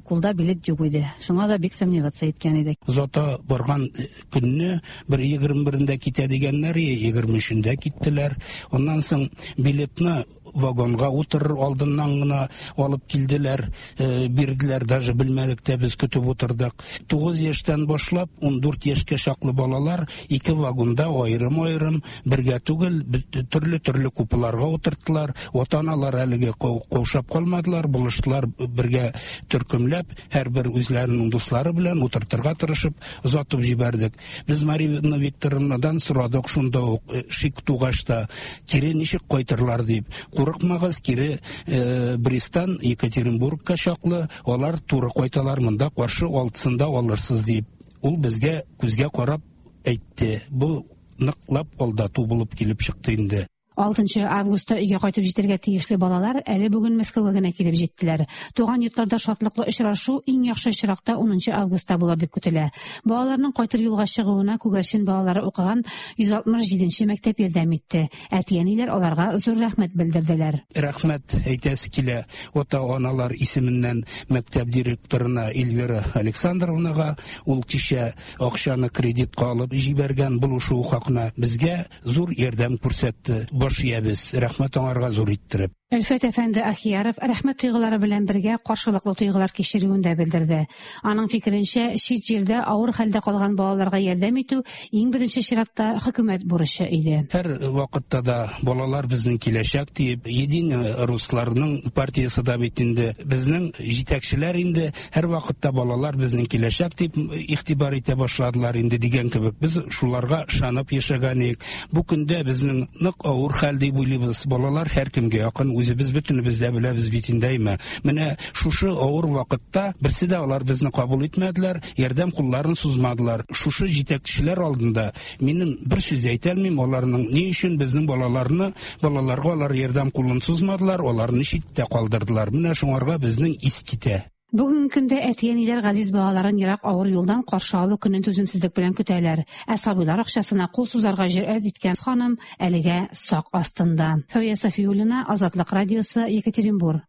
кулда билет юк иде. Шуңа да бик сомневаться иткән идек. Озата барган көнне бер егерме берендә китә дигәннәр, егерме өчендә киттеләр. Аннан соң билетны вагонга утырыр алдыннан гына алып килделәр, бирделәр, даже белмәдек тә, без көтеп утырдык. Тугыз яшьтән башлап ун дүрт яшькә чаклы балалар ике вагонда аерым-аерым, бергә түгел, төрле-төрле купеларга утырттылар. Ата-аналар әлеге каушап калмадылар, булыштылар бергә төркемләп, һәрбер үзләренең дуслары белән утыртырга тырышып озатып җибәрдек. Без Марина Викторовнадан сорадык шунда ук, шик тугач та, кире ничек кайтырлар дип. Курыкмагыз, кире Бресттан Екатеринбургка чаклы алар туры кайталар, монда каршы алтысында алырсыз дип. Ул безгә күзгә карап әйтте. Бу ныклап алдату булып килеп чыкты инде. Алтынчы августта өйгә кайтып җитәргә тиешле балалар әле бүген Мәскәүгә генә килеп җиттеләр. Туган йортларда шатлыклы очрашу иң яхшы очракта унынчы августта булыр дип көтелә. Балаларның кайтыр юлга чыгуына Күгәрчен балалары укыган йөз алтмыш җиденче мәктәп ярдәм итте. Әти-әниләр аларга зур рәхмәт белдерделәр. Рәхмәт әйтәсе килә ата-аналар исеменнән мәктәп директорына Эльвира Александровнага. Ул кичә акчаны кредитка алып җибәргән булышу хакына безгә зур ярдәм күрсәтте. Баш иябез, рәхмәт аңарга зур иттереп. Өлфәт әфәнде Ахияров рәхмәт тойгылары белән бергә каршылыклы тойгылар кичерүен дә белдерде. Аның фикеренчә, чит җирдә авыр хәлдә калган балаларга ярдәм итү иң беренче чиратта хөкүмәт бурычы иде. Һәр вакытта да балалар безнең киләчәк диеп, Единый русларның партиясе дә бит инде, безнең җитәкчеләр инде һәр вакытта балалар безнең киләчәк дип игътибар итә башладылар инде дигән кебек. Без шуларга ышанып яшәгән идек. Бу көндә безнең нык авыр хәл дип уйлыйбыз. Балалар һәркемгә якын, үзебез бөтенебез дә беләбез бит инде, әйме. Менә шушы авыр вакытта берсе дә алар безне кабул итмәделәр, ярдәм кулларын сузмадылар. Шушы җитәкчеләр алдында минем бер сүз әйтә алмыйм, аларның ни өчен безнең балаларны, балаларга алар ярдәм кулын сузмадылар, аларны читтә калдырдылар. Менә шуңарга безнең ис китә. Бүгенге көндә әти-әниләр газиз балаларын ерак авыр юлдан каршы алу көнен түземсезлек белән көтәләр. Ә сабыйлар акчасына кул сузарга җөрьәт иткән ханым әлегә сак астында. Фәүзия Сафиуллина, Азатлык радиосы, Екатеринбург.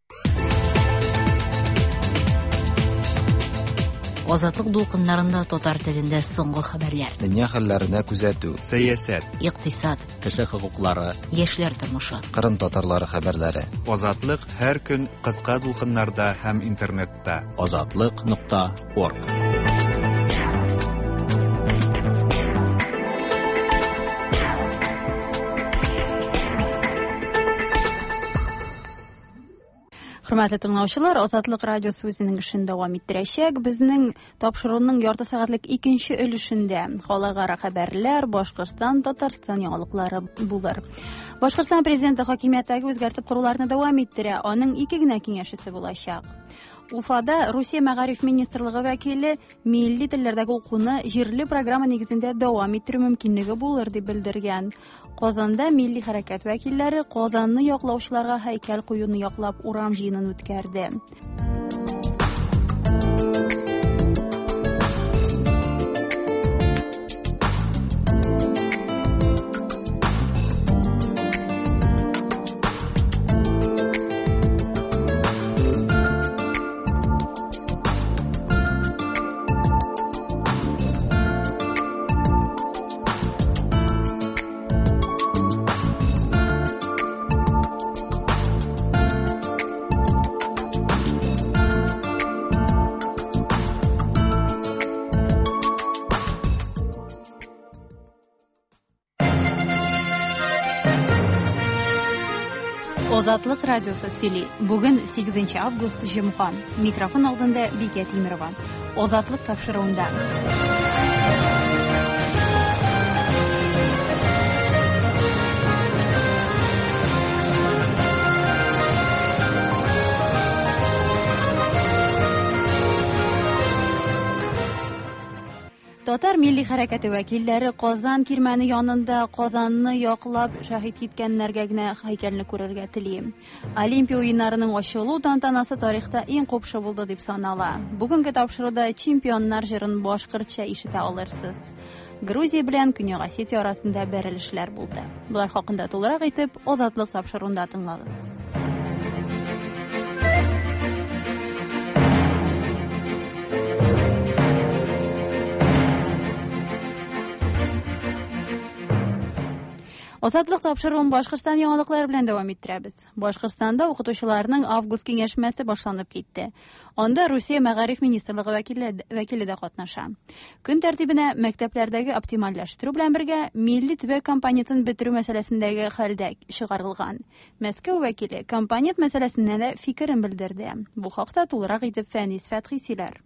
Азатлык дулкыннарында татар телендә соңгы хәбәрләр. Дөнья хәлләренә күзәтү, сәясәт, икътисад, кеше хокуклары, яшьләр тормышы, Кырым татарлары хәбәрләре. Азатлык һәр көн кыска дулкыннарда һәм интернетта. Азатлык нокта орг. Хөрмәтле тыңлаучылар, Азатлык радиосы үзенең эшен дәвам иттерәчәк. Безнең тапшыруның ярты сәгатьлек икенче өлешендә халыкара хәбәрләр, Башкортстан, Татарстан яңалыклары булыр. Башкортстан президенты хакимияттәге үзгәртеп коруларны дәвам иттерә. Аның ике генә киңәшчесе булачак. Уфада Русия мәгариф министрлыгы вәкиле милли телләрдәге укуны җирле программа нигезендә дәвам иттерү мөмкинлеге булыр дип белдергән. Казанда милли хәрәкәт вәкилләре Казанны яклаучыларга һәйкәл куюны яклап урам җыенын үткәрде. Азатлык радиосы сөйли. Бүген сигезенче август җомга. Микрофон алдында Бикә Тимирова. Азатлык тапшыруында. Татар милли хәрәкәте вәкилләре Казан кирмәне янында Казанны яклап шаһит киткәннәргә генә һәйкәлне күрергә тели. Олимпия уеннарының ачылу тантанасы тарихта иң купшы булды дип санала. Бүгенге тапшыруда чемпионнар җырын башкортча ишетә алырсыз. Грузия белән Көньяк Осетия арасында бәрелешләр булды. Болар хакында тулырак итеп Азатлык тапшыруында тыңлагыз. Азатлык тапшыруын Башкортстан яңалыклары белән дәвам иттерәбез. Башкортстанда укытучыларның август киңәшмәсе башланып китте. Анда Русия мәгариф министрлыгы вәкиле, вәкиле дә катнаша. Көн тәртибенә мәктәпләрдәге оптимальләштерү белән бергә милли төбәк компонентын бетерү мәсьәләсендәге хәлдә чыгарылган. Мәскәү вәкиле компонент мәсьәләсенә дә фикерен белдерде. Бу хакта тулырак итеп Фәнис Фәтхи сөйләр.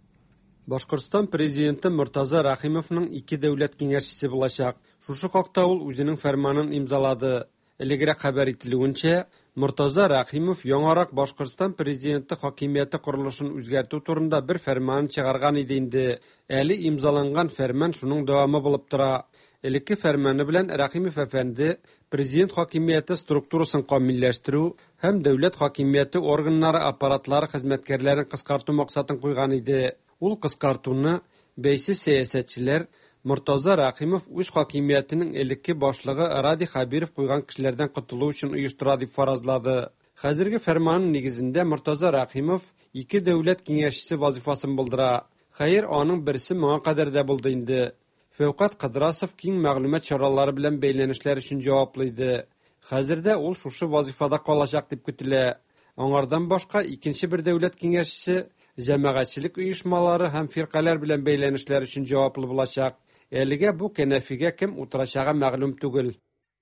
Башкортстан президенты Мортаза Рахимовның ике дәүләт киңәшчесе булачак. Шушы хакта ул үзенең фәрманын имзалады. Элегрәк хәбәр ителүенчә, Мортаза Рахимов яңарак Башкортстан президенты хакимияте корылышын үзгәртү турында бер фәрман чыгарган иде инде. Әле имзаланган фәрман шуның дәвамы булып тора. Элекке фәрманы белән Рахимов әфәнде президент хакимияте структурасын камилләштерү һәм дәүләт хакимияте органнары аппаратлары хезмәткәрләрен кыскарту максатын куйган иде. Ул кыскартуны бәйсез сәясәтчеләр Мортаза Рахимов үз хакимиятенең элекке башлыгы Радий Хәбиров куйган кешеләрдән котылу өчен оештыра дип фаразлады. Хәзерге фәрманның нигезендә Мортаза Рахимов ике дәүләт киңәшчесе вазифасын булдыра. Хәер, аның берсе моңа кадәр дә булды инде. Фәүкать Кыдрасов киң мәгълүмат чаралары белән бәйләнешләр өчен җаваплы иде. Хәзердә ул шушы вазифада калачак дип көтелә. Аңардан башка икенче бер дәүләт киңәшчесе җәмәгатьчелек оешмалары һәм фиркаләр белән бәйләнешләр өчен җаваплы булачак. Әлегә бу кәнәфигә кем утырачагы мәгълүм түгел.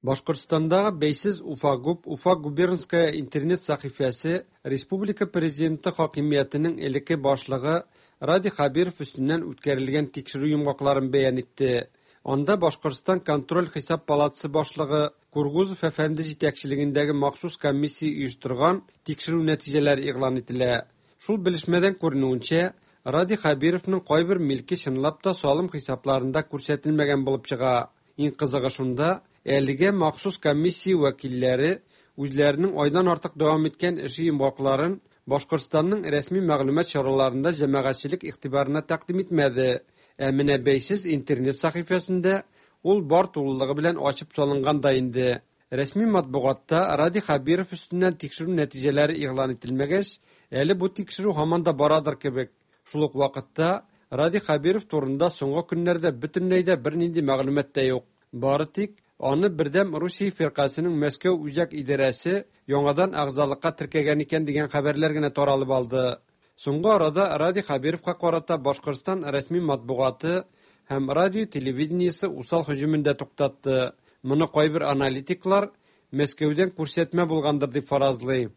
Башкортстандагы бәйсез Уфагуб, Уфа губернская интернет сәхифәсе республика президенты хакимиятенең элекке башлыгы Радий Хәбиров өстеннән үткәрелгән тикшерү йомгакларын бәян итте. Анда Башкортстан контроль хисап палатасы башлыгы Кургузов әфәнде җитәкчелегендәге махсус комиссия оештырган тикшерү нәтиҗәләре игълан ителә. Шул белешмәдән күренүенчә, Радий Хәбировның кайбер милке чынлап та салым хисапларында күрсәтелмәгән булып чыга. Иң кызыгы шунда, әлегә махсус комиссия вәкилләре үзләренең айдан артык дәвам иткән эше йомгакларын Башкортстанның рәсми мәгълүмат чараларында җәмәгатьчелек игътибарына тәкъдим итмәде. Ә менә бәйсез интернет сәхифәсендә ул бар тулылыгы белән ачып салынган да инде. Рәсми матбугатта Радий Хәбиров өстеннән тикшерү нәтиҗәләре игълан ителмәгәч, әле бу тикшерү һаман да барадыр кебек. Шул ук вакытта Радий Хәбиров турында соңгы көннәрдә бөтенләй дә бернинди мәгълүмат та юк. Бары тик аны Бердәм Русия фиркасының Мәскәү үзәк идарәсе яңадан әгъзалыкка теркәгән икән дигән хәбәрләр генә таралып алды. Соңгы арада Радий Хәбировка карата Башкортстан рәсми матбугаты һәм радио телевидениесе усал һөҗүмен дә туктатты. Моны кайбер аналитиклар Мәскәүдән күрсәтмә булгандыр дип фаразлый.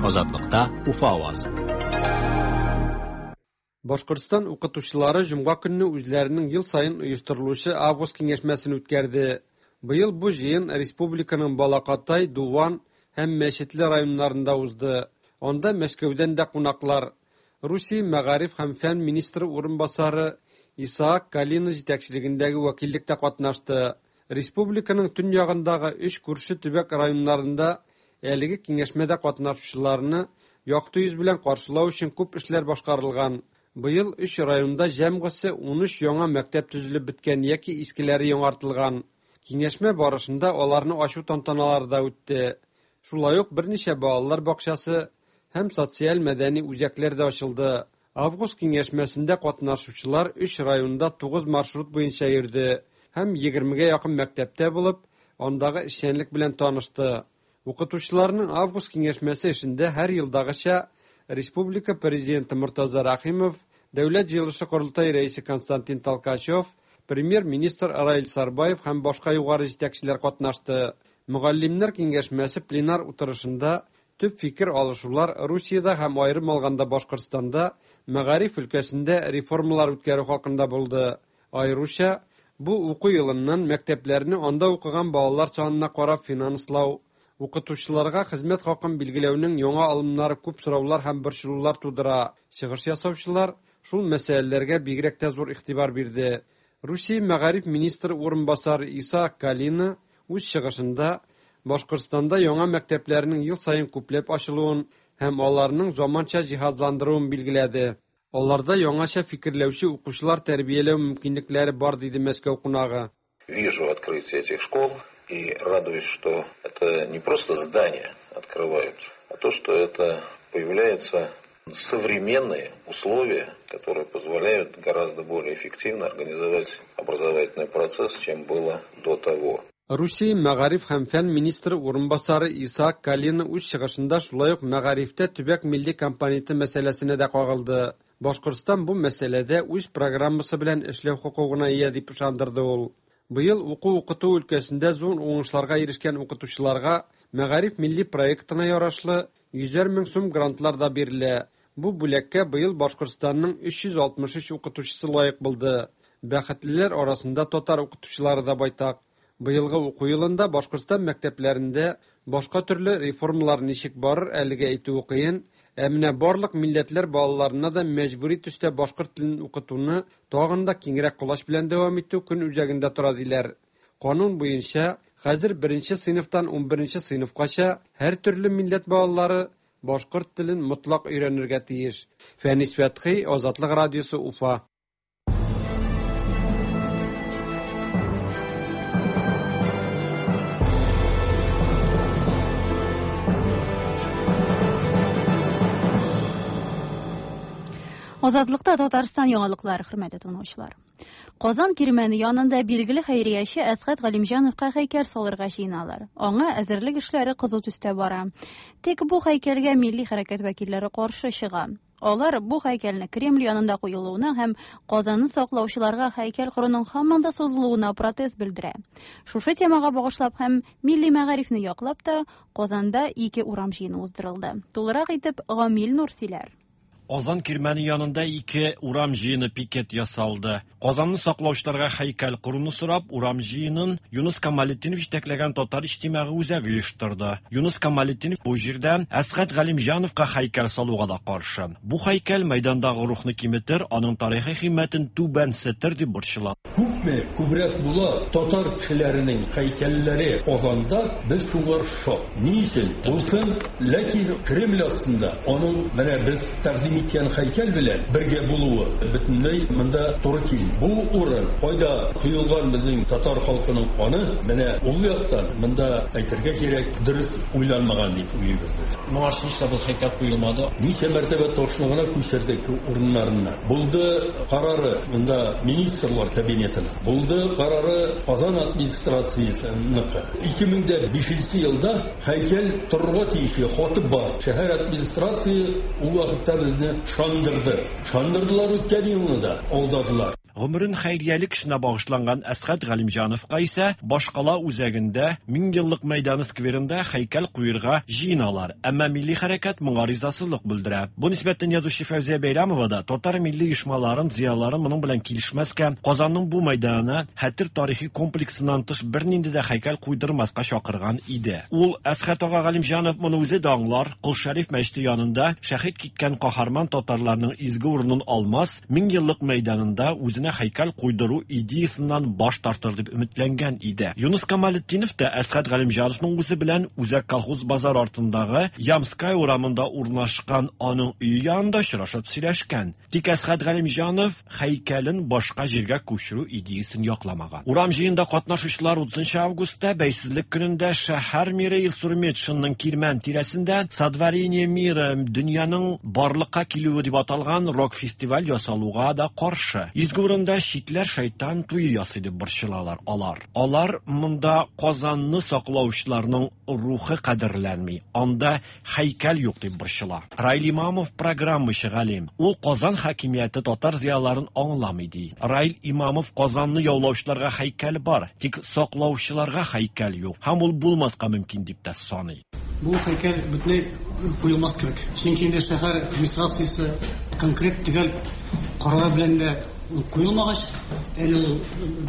Азатлыкта Уфа авазы. Башкортстан укытучылары җомга көнне үзләренең ел саен оештырылучы август киңәшмәсен үткәрде. Быел бу җыен республиканың Балакатай, Дуван һәм Мәчетле районнарында узды. Анда Мәскәүдән дә кунаклар, Русия мәгариф һәм фән министры урынбасары Исаак Калина җитәкчелегендәге вәкиллек тә катнашты. Республиканың төньягындагы өч күрше төбәк районнарында әлеге киңәшмәдә катнашучыларны якты йөз белән каршылау өчен күп эшләр башкарылган. Быел өч районда җәмгысе ун өч яңа мәктәп төзелеп беткән яки искеләре яңартылган. Киңәшмә барышында аларны ачу тантаналары да үтте. Шулай ук берничә балалар бакчасы һәм социаль-мәдәни үзәкләр дә ачылды. Август киңәшмәсендә катнашучылар өч районда тугыз маршрут буенча йөрде һәм егермегә якын мәктәптә булып, андагы эшчәнлек белән танышты. Укытучыларның август киңәшмәсе эшендә һәр елдагыча Республика президенты Мортаза Рахимов, Дәүләт җыелышы корылтай рәисе Константин Толкачев, премьер-министр Раил Сарбаев һәм башка югары җитәкчеләр катнашты. Мөгаллимнәр киңәшмәсе пленар утырышында төп фикер алышулар Русиядә һәм аерым алганда Башкортстанда мәгариф өлкәсендә реформалар үткәрү хакында булды. Аеруча бу уку елыннан мәктәпләрне анда укыган балалар санына карап финанслау, укытучыларга хезмәт хакын билгеләүнең яңа алымнары күп сораулар һәм борчылулар тудыра. Чыгыш ясаучылар шул мәсьәләләргә бигрәк тә зур игътибар бирде. Русия мәгариф министры урынбасары Исаак Калина үз чыгышында Башкортстанда яңа мәктәпләрнең ел саен күпләп ачылуын һәм аларның заманча җиһазландыруын билгеләде. Аларда яңача фикерләүче укучылар тәрбияләү мөмкинлекләре бар, диде Мәскәү кунагы. Вижу открытие этих школ и радуюсь, что это не просто здания открывают, а то, что это появляются современные условия, которые позволяют гораздо более эффективно организовать образовательный процесс, чем было до того. Русия мәгариф һәм фән министры урынбасары Исаак Калина үз чыгышында шулай ук мәгарифтә төбәк милли компоненты мәсьәләсенә дә кагылды. Башкортстан бу мәсьәләдә үз программасы белән эшләү хокукына ия дип ышандырды ул. Быел уку-укыту өлкәсендә зур уңышларга ирешкән укытучыларга мәгариф милли проектына ярашлы йөзәр мең сум грантлар да бирелә. Бу бүләккә быел Башкортстанның өч йөз алтмыш өч укытучысы лаек булды. Бәхетлеләр арасында татар укытучылары да байтак. Быелгы уку елында Башкортстан мәктәпләрендә башка төрле реформалар ничек барыр әлегә әйтүе кыен, ә менә барлык милләтләр балаларына да мәҗбүри төстә башкорт телен укытуны тагын да киңрәк колач белән дәвам итү көн үзәгендә тора диләр. Канун буенча хәзер беренче сыйныфтан унберенче сыйныфкача һәр төрле милләт балалары башкорт телен мотлак өйрәнергә тиеш. Фәнис Фәтхи, Азатлык радиосы, Уфа. Азатлыкта Татарстан яңалыклары, хөрмәтле тыңлаучылар. Казан кирмәне янында билгеле хәйрияче Әсхәт Галимҗановка һәйкәл салырга җыеналар. Аңа әзерлек эшләре кызу төстә бара. Тик бу һәйкәлгә милли хәрәкәт вәкилләре каршы чыга. Алар бу һәйкәлне Кремль янында куелуына һәм Казанны саклаучыларга һәйкәл коруның һаман да сузылуына протест белдерә. Шушы темага багышлап һәм милли мәгарифне яклап та Казанда ике урам җыены уздырылды. Тулырак итеп Гамил Нур сөйләр. Казан кирмәне янында ике урам җыены пикет ясалды. Казанны саклаучыларга һәйкәл коруны сорап, урам җыенын Юныс Камалетдинов җитәкләгән Татар иҗтимагый үзәге оештырды. Юныс Камалетдинов бу җирдә Әсхәт Галимҗановка һәйкәл салуга да каршы. Бу һәйкәл мәйдандагы рухны киметер, аның тарихи кыйммәтен түбәнсетер дип борчыла. Күпме күбрәк була татар кешеләренең һәйкәлләре Казанда, без шуңар шат. Ни өчен? Булсын, ләкин Кремль астында аның менә без тәкъдим иткән һәйкәл белән бергә булуы бөтенләй монда туры килми. Бу урын кайда коелган безнең татар халкының каны, менә ул яктан монда әйтергә кирәк, дөрес уйланмаган дип уйлыйбыз без. Моңарчы нишләп бу һәйкәл куелмады? Ничә мәртәбә ташны гына күчердек урыннарыннан. Булды карары монда министрлар кабинетының. Булды карары Казан администрациясенеке. ике мең бишенче елда һәйкәл торырга тиешле хаты бар. Шәһәр администрация ул вакытта безне шандырды. Шандырдылар үткән елны да, алдадылар. Гомерен хәйриялек эшенә багышланган Әсхәт Галимҗановка исә башкала үзәгендә Меңьеллык мәйданы скверында һәйкәл куерга җыеналар. Әмма милли хәрәкәт моңа ризасызлык белдерә. Бу нисбәттән язучы Фәүзия Бәйрәмова да татар милли оешмаларын, зыяларын моның белән килешмәскә, Казанның бу мәйданына хәтер тарихи комплексыннан тыш бернинди дә һәйкәл куйдырмаска чакырган иде. Ул Әсхәт ага Галимҗанов моны үзе дә аңлар, Кол Шәриф мәчете янында шәһит киткән каһарман татарларның изге урынын алмас, Меңьеллык мәйданында үзенә һәйкәл куйдыру идеясыннан баш тартыр дип өметләнгән иде. Юныс Камалетдинов та Әсхәт Галимҗановның үзе белән Үзәк колхоз базар артындагы Ямская урамында урнашкан аның өе янында очрашып сөйләшкән. Тик Әсхәт Галимҗанов һәйкәлен башка җиргә күчерү идеясын якламаган. Урам җыенында катнашучылар утызынчы августта Бәйсезлек көнендә шәһәр мэры Илсур Метшинның Кирмән тирәсендә Сотворение мира, дөньяның барлыкка килүе дип аталган рок-фестиваль ясалуга да каршы. Изге урында читләр шайтан туе ясый дип борчылалар алар. Алар монда Казанны саклаучыларның рухы кадерләнми, анда һәйкәл юк дип борчыла. Раил Имамов программачы галим. Ул Казан хакимияте татар зыяларын аңламый ди. Раил Имамов Казанны яулаучыларга һәйкәл бар, тик саклаучыларга һәйкәл юк. Һәм ул булмаска мөмкин дип тә саный. Бу һәйкәл бөтенләй куелмас кебек. Чөнки инде шәһәр администрациясе конкрет төгәл карары белән дә куелмагач, әле ул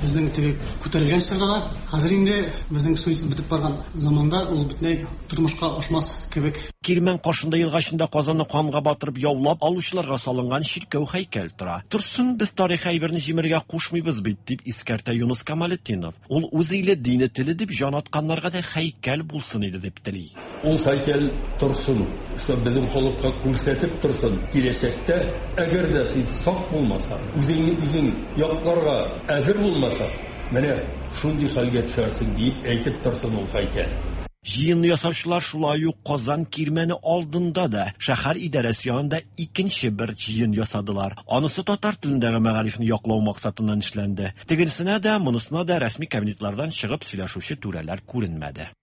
безнең теге күтәрелгән чорда да, хәзер инде безнең суицид бетеп барган заманда ул бөтенләй тормышка ашмас кебек. Кирмән каршында елгачында Казанны канга батырып яулап алучыларга салынган чиркәү һәйкәл тора. Торсын, без тарихи әйберне җимерергә кушмыйбыз бит, дип искәртә Юныс Камалетдинов. Ул үз иле, дине, теле дип җан атканнарга да һәйкәл булсын иде дип тели. Ул һәйкәл торсын, шул безнең халыкка күрсәтеп торсын. Киләчәктә әгәр дә син сак булмасаң, үзеңне үзең якларга әзер булмасаң, менә шундый хәлгә төшәрсең дип әйтеп торсын ул һәйкәл. Җыенны ясаучылар шулай ук Казан Кирмәне алдында да шәһәр идарәсе янында икенче бер җыен ясадылар. Анысы татар телендәге мәгарифне яклау максатыннан эшләнде. Тегенсенә дә, монысына да рәсми кабинетлардан чыгып сөйләшүче түрәләр күренмәде.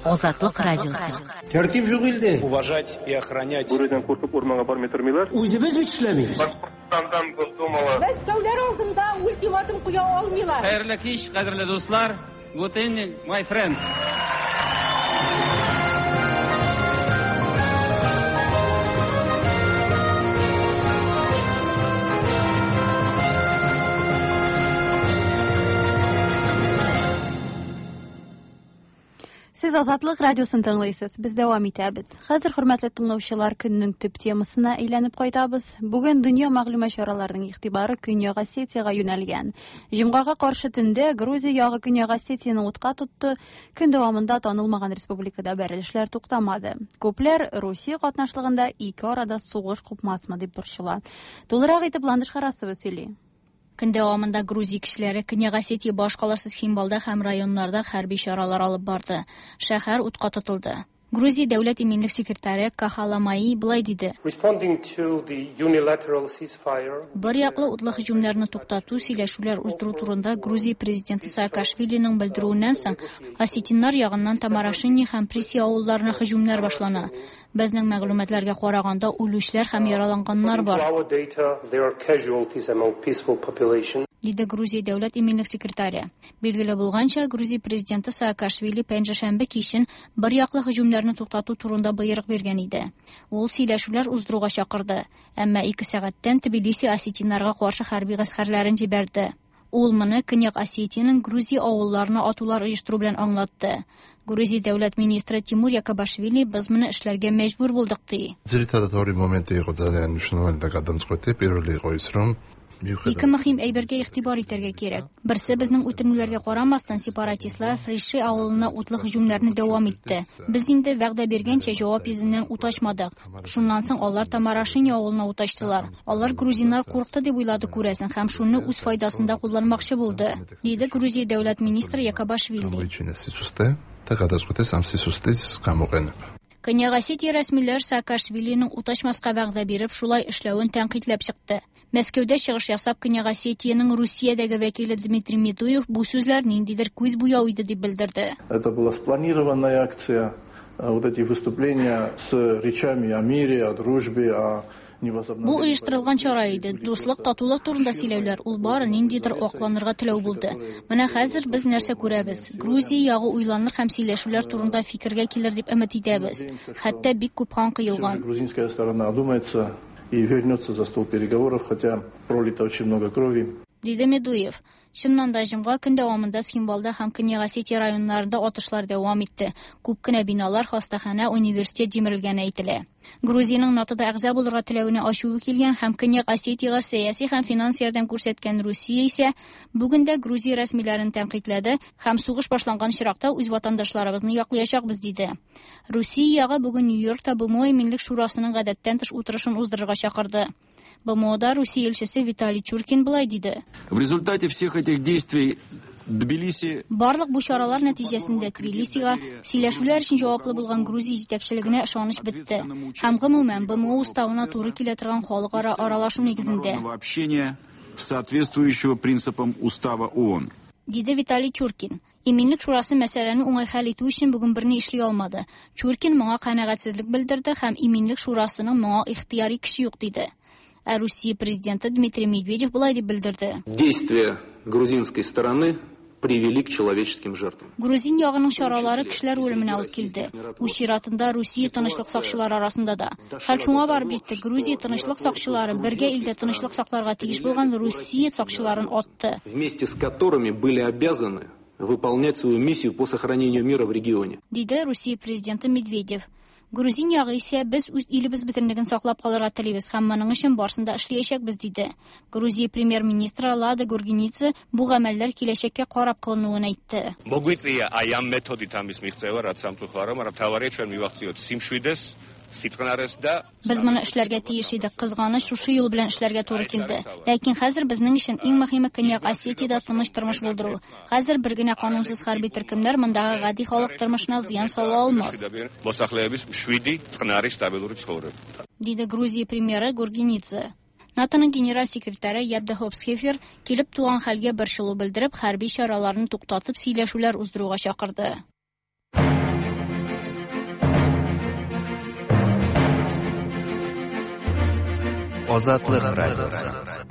Азатлык радиосы. Тәртип юк илдә. Уважать и охранять. Бүредән куркып урманга бармый тормыйлар. Үзебез бит эшләмибез. Башкортстандан Госдумала. Мәскәүләр алдында ультиматум куя алмыйлар. Хәерле кич, кадерле дуслар. Good evening, my friends. Сез Азатлык радиосын тыңлыйсыз. Без дәвам итәбез. Хәзер хөрмәтле тыңлаучылар, көннең төп темасына әйләнеп кайтабыз. Бүген дөнья мәгълүмат чараларының игътибары Көньяк Осетиягә юнәлгән. Җомгага каршы төндә Грузия ягы Көньяк Осетияне утка тотты. Көн дәвамында танылмаган республикада бәрелешләр туктамады. Күпләр Русия катнашлыгында ике арада сугыш купмасмы дип борчыла. Тулырак итеп Ландыш Харасова сөйли. Көн дәвамында Грузия кешеләре Көньяк Осетия башкаласы Цхинвалда һәм районнарда хәрби чаралар алып барды. Шәһәр утка тотылды. Грузия дәүләт иминлек секретаре Кахаламаи былай диде. Бер яклы утлы һөҗүмнәрне туктату, сөйләшүләр уздыру турында Грузия президенты Саакашвилиның белдерүеннән соң осетиннар ягыннан Тамарашини һәм Приси авылларына һөҗүмнәр башлана. Безнең мәгълүматларга караганда үлүчеләр һәм яраланганнар бар. Диде Грузия дәүләт иминлек секретаре. Билгеле булганча, Грузия президенты Саакашвили пәнҗешәмбе кичен бер яклы һөҗүмнәрне туктату турында боерык биргән иде. Ул сөйләшүләр уздыруга чакырды, әмма ике сәгатьтән Тбилиси осетиннарга каршы хәрби гаскәрләрен җибәрде. Ул моны Көньяк Осетиянең Грузия авылларына атулар оештыру белән аңлатты. Грузия дәүләт министры Тимур Якобашвили без моны эшләргә мәҗбүр булдык ди. Ძირითადად ორი მომენტი იყო ძალიან მნიშვნელოვანი და გადამწყვეტი. პირველი იყო ის, რომ Ике мөһим әйбергә игътибар итәргә кирәк. Берсе, безнең үтенүләргә карамастан, сепаратистлар Фриши авылына утлы һөҗүмнәрне дәвам итте. Без инде вәгъдә биргәнчә җавап йөзеннән ут ачмадык. Шуннан соң алар Тамарашини авылына ут ачтылар. Алар грузиннар курыкты дип уйлады күрәсең һәм шуны үз файдасында кулланмакчы булды, диде Грузия дәүләт министры Якобашвили. და გადაწყვეტეს ამ სისუსტის გამოყენება. Көньяк Осетия рәсмиләр Саакашвилиның ут ачмаска вәгъдә биреп шулай эшләвен тәнкыйтьләп чыкты. Мәскәүдә чыгыш ясап Көньяк Осетиянең Русиядәге вәкиле Дмитрий Медуев бу сүзләр ниндидер күз буяу иде дип белдерде. Это была спланированная акция. Вот эти выступления с речами о мире, о дружбе, о Бу оештырылган чара иде. Дуслык, татулык турында сөйләүләр, ул бары ниндидер акланырга теләү булды. Менә хәзер без нәрсә күрәбез? Грузия ягы уйланыр һәм сөйләшүләр турында фикергә килер дип өмет итәбез. Хәтта бик күп кан кыелган. Грузинская сторона одумается и вернется за стол переговоров, хотя пролито очень много крови. Диде Медуев. Чыннан да җомга көн дәвамында Цхинвалда һәм Көньяк Осетия районнарында атышлар дәвам итте. Күп кенә биналар, хастаханә, университет җимерелгәне әйтелә. Грузиянең НАТОда әгъза булырга теләвенә ачуы килгән һәм Көньяк Осетиягә сәяси һәм финанс ярдәм күрсәткән Русия исә бүген дә Грузия рәсмиләрен тәнкыйтьләде һәм сугыш башланган очракта үз ватандашларыбызны яклаячакбыз диде. Русия ягы бүген Нью-Йоркта Б М О Иминлек шурасының гадәттән тыш утырышын уздырырга чакырды. Б М Ода Русия илчесе Виталий Чуркин былай диде. В результате всех этих действий Тбилиси Барлык бу чаралар нәтиҗәсендә Тбилисига сөйләшүләр өчен җаваплы булган Грузия җитәкчелегенә ышаныч бетте. Һәм гомумән Б М О уставына туры килә торган халыкара аралашу нигезендә. Общения, соответствующего принципам Устава О О Н. Диде Виталий Чуркин. Иминлек шурасы мәсьәләне уңай хәл итү өчен бүген берни эшли алмады. Чуркин моңа канәгатьсезлек белдерде һәм Иминлек шурасының моңа ихтыяри көче юк диде. Ә Русия президенты Дмитрий Медведев болай дип белдерде. Действия грузинской стороны привели к человеческим жертвам. Грузин ягының чаралары кешеләр үлеменә алып килде. Үз чиратында Русия тынычлык сакчылары арасында да. Хәл шуңа барып җитте. Грузия тынычлык сакчылары бергә илдә тынычлык сакларга тиеш булган Русия сакчыларын атты. Вместе с которыми были обязаны выполнять свою миссию по сохранению мира в регионе. Диде Русия президенты Медведев. Грузин ягы исә без үз илебез бөтенлеген саклап калырга телибез һәм моның өчен барысын да эшләячәкбез диде. Грузия премьер-министры Лада Гургенидзе бу гамәлләр киләчәккә карап кылынуын әйтте. მოგვიწია აი ამ მეთოდით ამის მიღწევა, რაც სამწუხაროა, მაგრამ მთავარია ჩვენ მივახციოთ სიმშვიდეს, სიწყნარეს და Без моны эшләргә тиеш идек. Кызганыч, шушы юл белән эшләргә туры килде. Ләкин хәзер безнең өчен иң мөһиме Көньяк Осетиядә тыныч тормыш булдыру. Хәзер бер генә канунсыз хәрби төркемнәр мондагы гади халык тормышына зыян сала алмас. მოსახლეობის მშვიდი, წყნარი, სტაბილური ცხოვრება. Диде Грузия премьеры Гургенидзе. НАТОның генераль секретаре Яп де Хоп Схефер килеп туган хәлгә борчылу белдереп, хәрби чараларны туктатып сөйләшүләр уздыруга чакырды. Азатлык радиосы.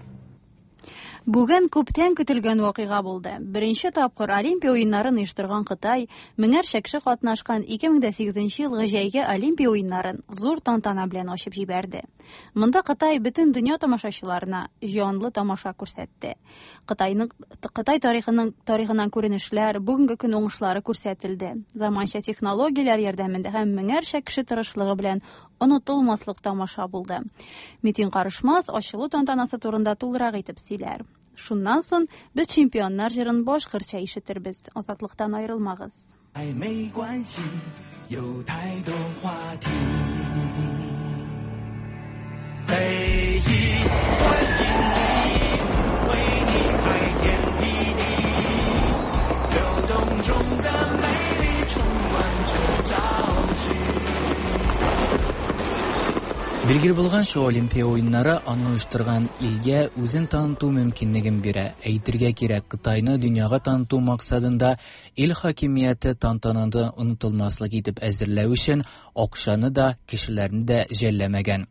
Бүген күптән көтелгән вакыйга булды. Беренче тапкыр Олимпия уеннарын оештырган Кытай меңәрчә кеше катнашкан ике мең дә сигезенче елгы җәйге Олимпия уеннарын зур тантана белән ачып җибәрде. Монда Кытай бөтен дөнья тамашачыларына җанлы тамаша күрсәтте. Кытайның Кытай тарихының тарихыннан күренешләр, бүгенге көн уңышлары күрсәтелде. Заманча технологияләр ярдәмендә һәм меңәрчә кеше тырышлыгы белән онытылмаслык тамаша булды. Метин Карышмас ачылу тантанасы турында тулырак итеп сөйләр. Шуннан соң без чемпионнар җырын башкортча ишетербез. Азатлыктан аерылмагыз. 没关系，有太多话题。北京欢迎你，为你开天辟地，流动中的美丽充满着朝气。 Билгеле булганча, Олимпия уеннары аны оештырган илгә үзен таныту мөмкинлеген бирә. Әйтергә кирәк, Кытайны дөньяга таныту максатында ил хакимияте тантананы онытылмаслык итеп әзерләү өчен акчаны да, кешеләрне дә жәлләмәгән.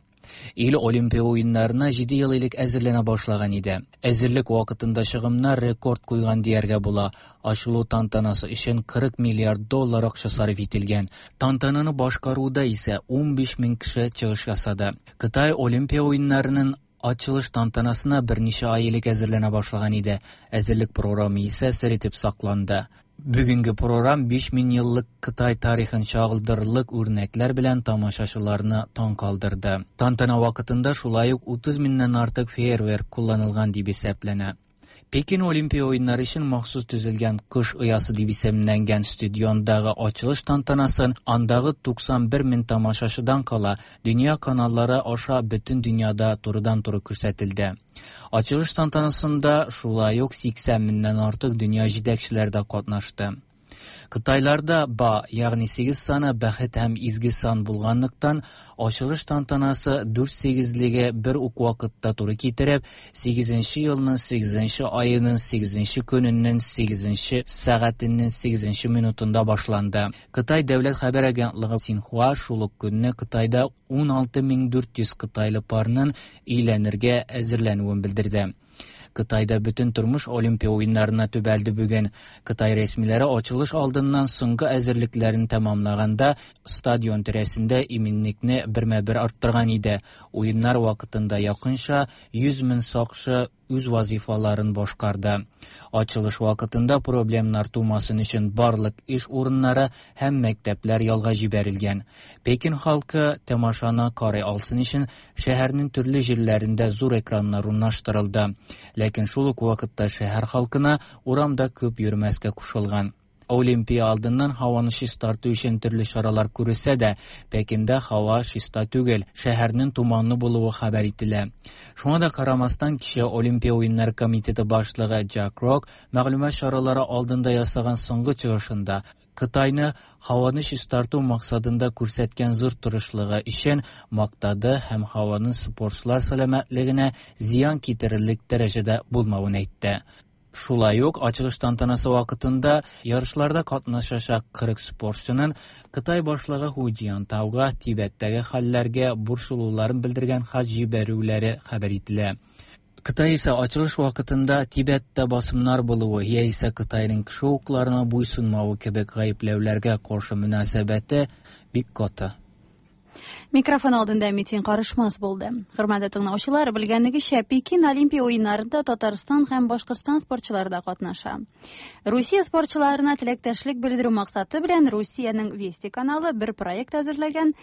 Ил Олимпия уеннарына җиде ел элек әзерләнә башлаган иде. Әзерлек вакытында чыгымнар рекорд куйган дияргә була. Ачылу тантанасы өчен кырык миллиард доллар акча сарыф ителгән. Тантананы башкаруда исә унбиш мең кеше чыгыш ясады. Кытай Олимпия уеннарының ачылыш тантанасына берничә ай элек әзерләнә башлаган иде. Әзерлек програмы исә сер итеп сакланды. Бүгенге програм биш мең еллык Кытай тарихын чагылдырырлык үрнәкләр белән тамашачыларны таң калдырды. Тантана вакытында шулай ук утыз меңнән артык фейерверк кулланылган дип исәпләнә. Пекин Олимпия уеннары өчен махсус төзелгән Кыш оясы дип исемләнгән стадиондагы ачылыш тантанасын андагы туксан бер мең тамашачыдан кала дөнья каналлары аша бөтен дөньяда турыдан-туры күрсәтелде. Ачылыш тантанасында шулай ук сиксән меңнән артык дөнья җитәкчеләре дә катнашты. Кытайларда ба, ягъни сигез саны бәхет һәм изге сан булганлыктан, ачылыш тантанасы дүрт сигезлеге бер үк вакытта туры китереп, сигезенче елның сигезенче аеның сигезенче көненең сигезенче сәгатенең сигезенче минутында башланды. Кытай дәүләт хәбәр агентлыгы Синхуа шул ук көнне Кытайда ун алты мең дүрт йөз кытайлы парның өйләнергә әзерләнүен белдерде. Кытайда бөтен тормыш Олимпия уеннарына төбәлде бүген. Кытай рәсмиләре ачылыш алдыннан соңгы әзерлекләрен тәмамлаганда стадион тирәсендә иминлекне бермә-бер арттырган иде. Уеннар вакытында якынча йөз мең сакчы үз вазифаларын башкарды. Ачылыш вакытында проблемнар тумасын өчен барлык эш урыннары һәм мәктәпләр ялга җибәрелгән. Пекин халкы тамашаны карый алсын өчен шәһәрнең төрле җирләрендә зур экраннар урнаштырылды. Ләкин шул ук вакытта шәһәр халкына урамда күп йөрмәскә кушылган. Олимпия алдыннан һаваны чистарту өчен төрле чаралар күрелсә дә, Пекинда һава чиста түгел, шәһәрнең туманлы булуы хәбәр ителә. Шуңа да карамастан, кичә Олимпия уеннары комитеты башлыгы Джак Рок мәгълүмат чаралары алдында ясаган соңгы чыгышында Кытайны һаваны чистарту максатында күрсәткән зур тырышлыгы өчен мактады һәм һаваның спортчылар сәламәтлегенә зыян китерерлек дәрәҗәдә булмавын әйтте. Шулай ук ачылыш тантанасы вакытында ярышларда катнашачак кырык спортчының Кытай башлыгы Ху Цзиньтауга Тибеттәге хәлләргә борчылуларын белдергән хат җибәрүләре хәбәр ителә. Кытай исә ачылыш вакытында Тибеттә басымнар булуы яисә Кытайның кеше хокукларына буйсынмавы кебек гаепләүләргә каршы мөнәсәбәте бик каты. Микрофон алдында Митин Карышмас булды. Хөрмәтле тыңлаучылар, белгәнегезчә, Пекин Олимпия уеннарында Татарстан һәм Башкортстан спортчылары да катнаша. Русия спортчыларына теләктәшлек белдерү максаты белән Русиянең Вести каналы бер проект әзерләгән.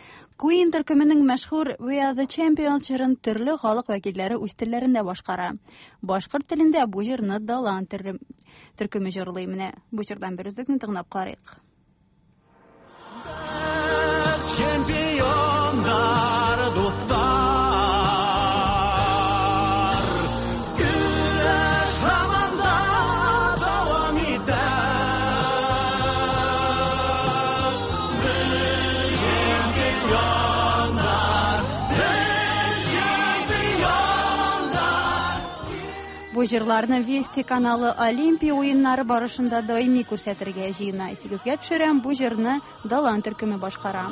Queen төркеменең мәшһүр We Are the Champions җырын төрле халык вәкилләре үз телләрендә башкара. Башкорт телендә бу җырны Далан төркеме җырлый. Менә бу җырдан бер өзекне тыңлап карыйк. Чемпиондар, дуҫтар, көрәш һаман да дауам итә. Беҙ чемпиондар, беҙ чемпиондар. Бу җырларны Вести каналы Олимпия уеннары барышында даими күрсәтергә җыена. Исегезгә төшерәм, бу җырны Далан төркеме башкара.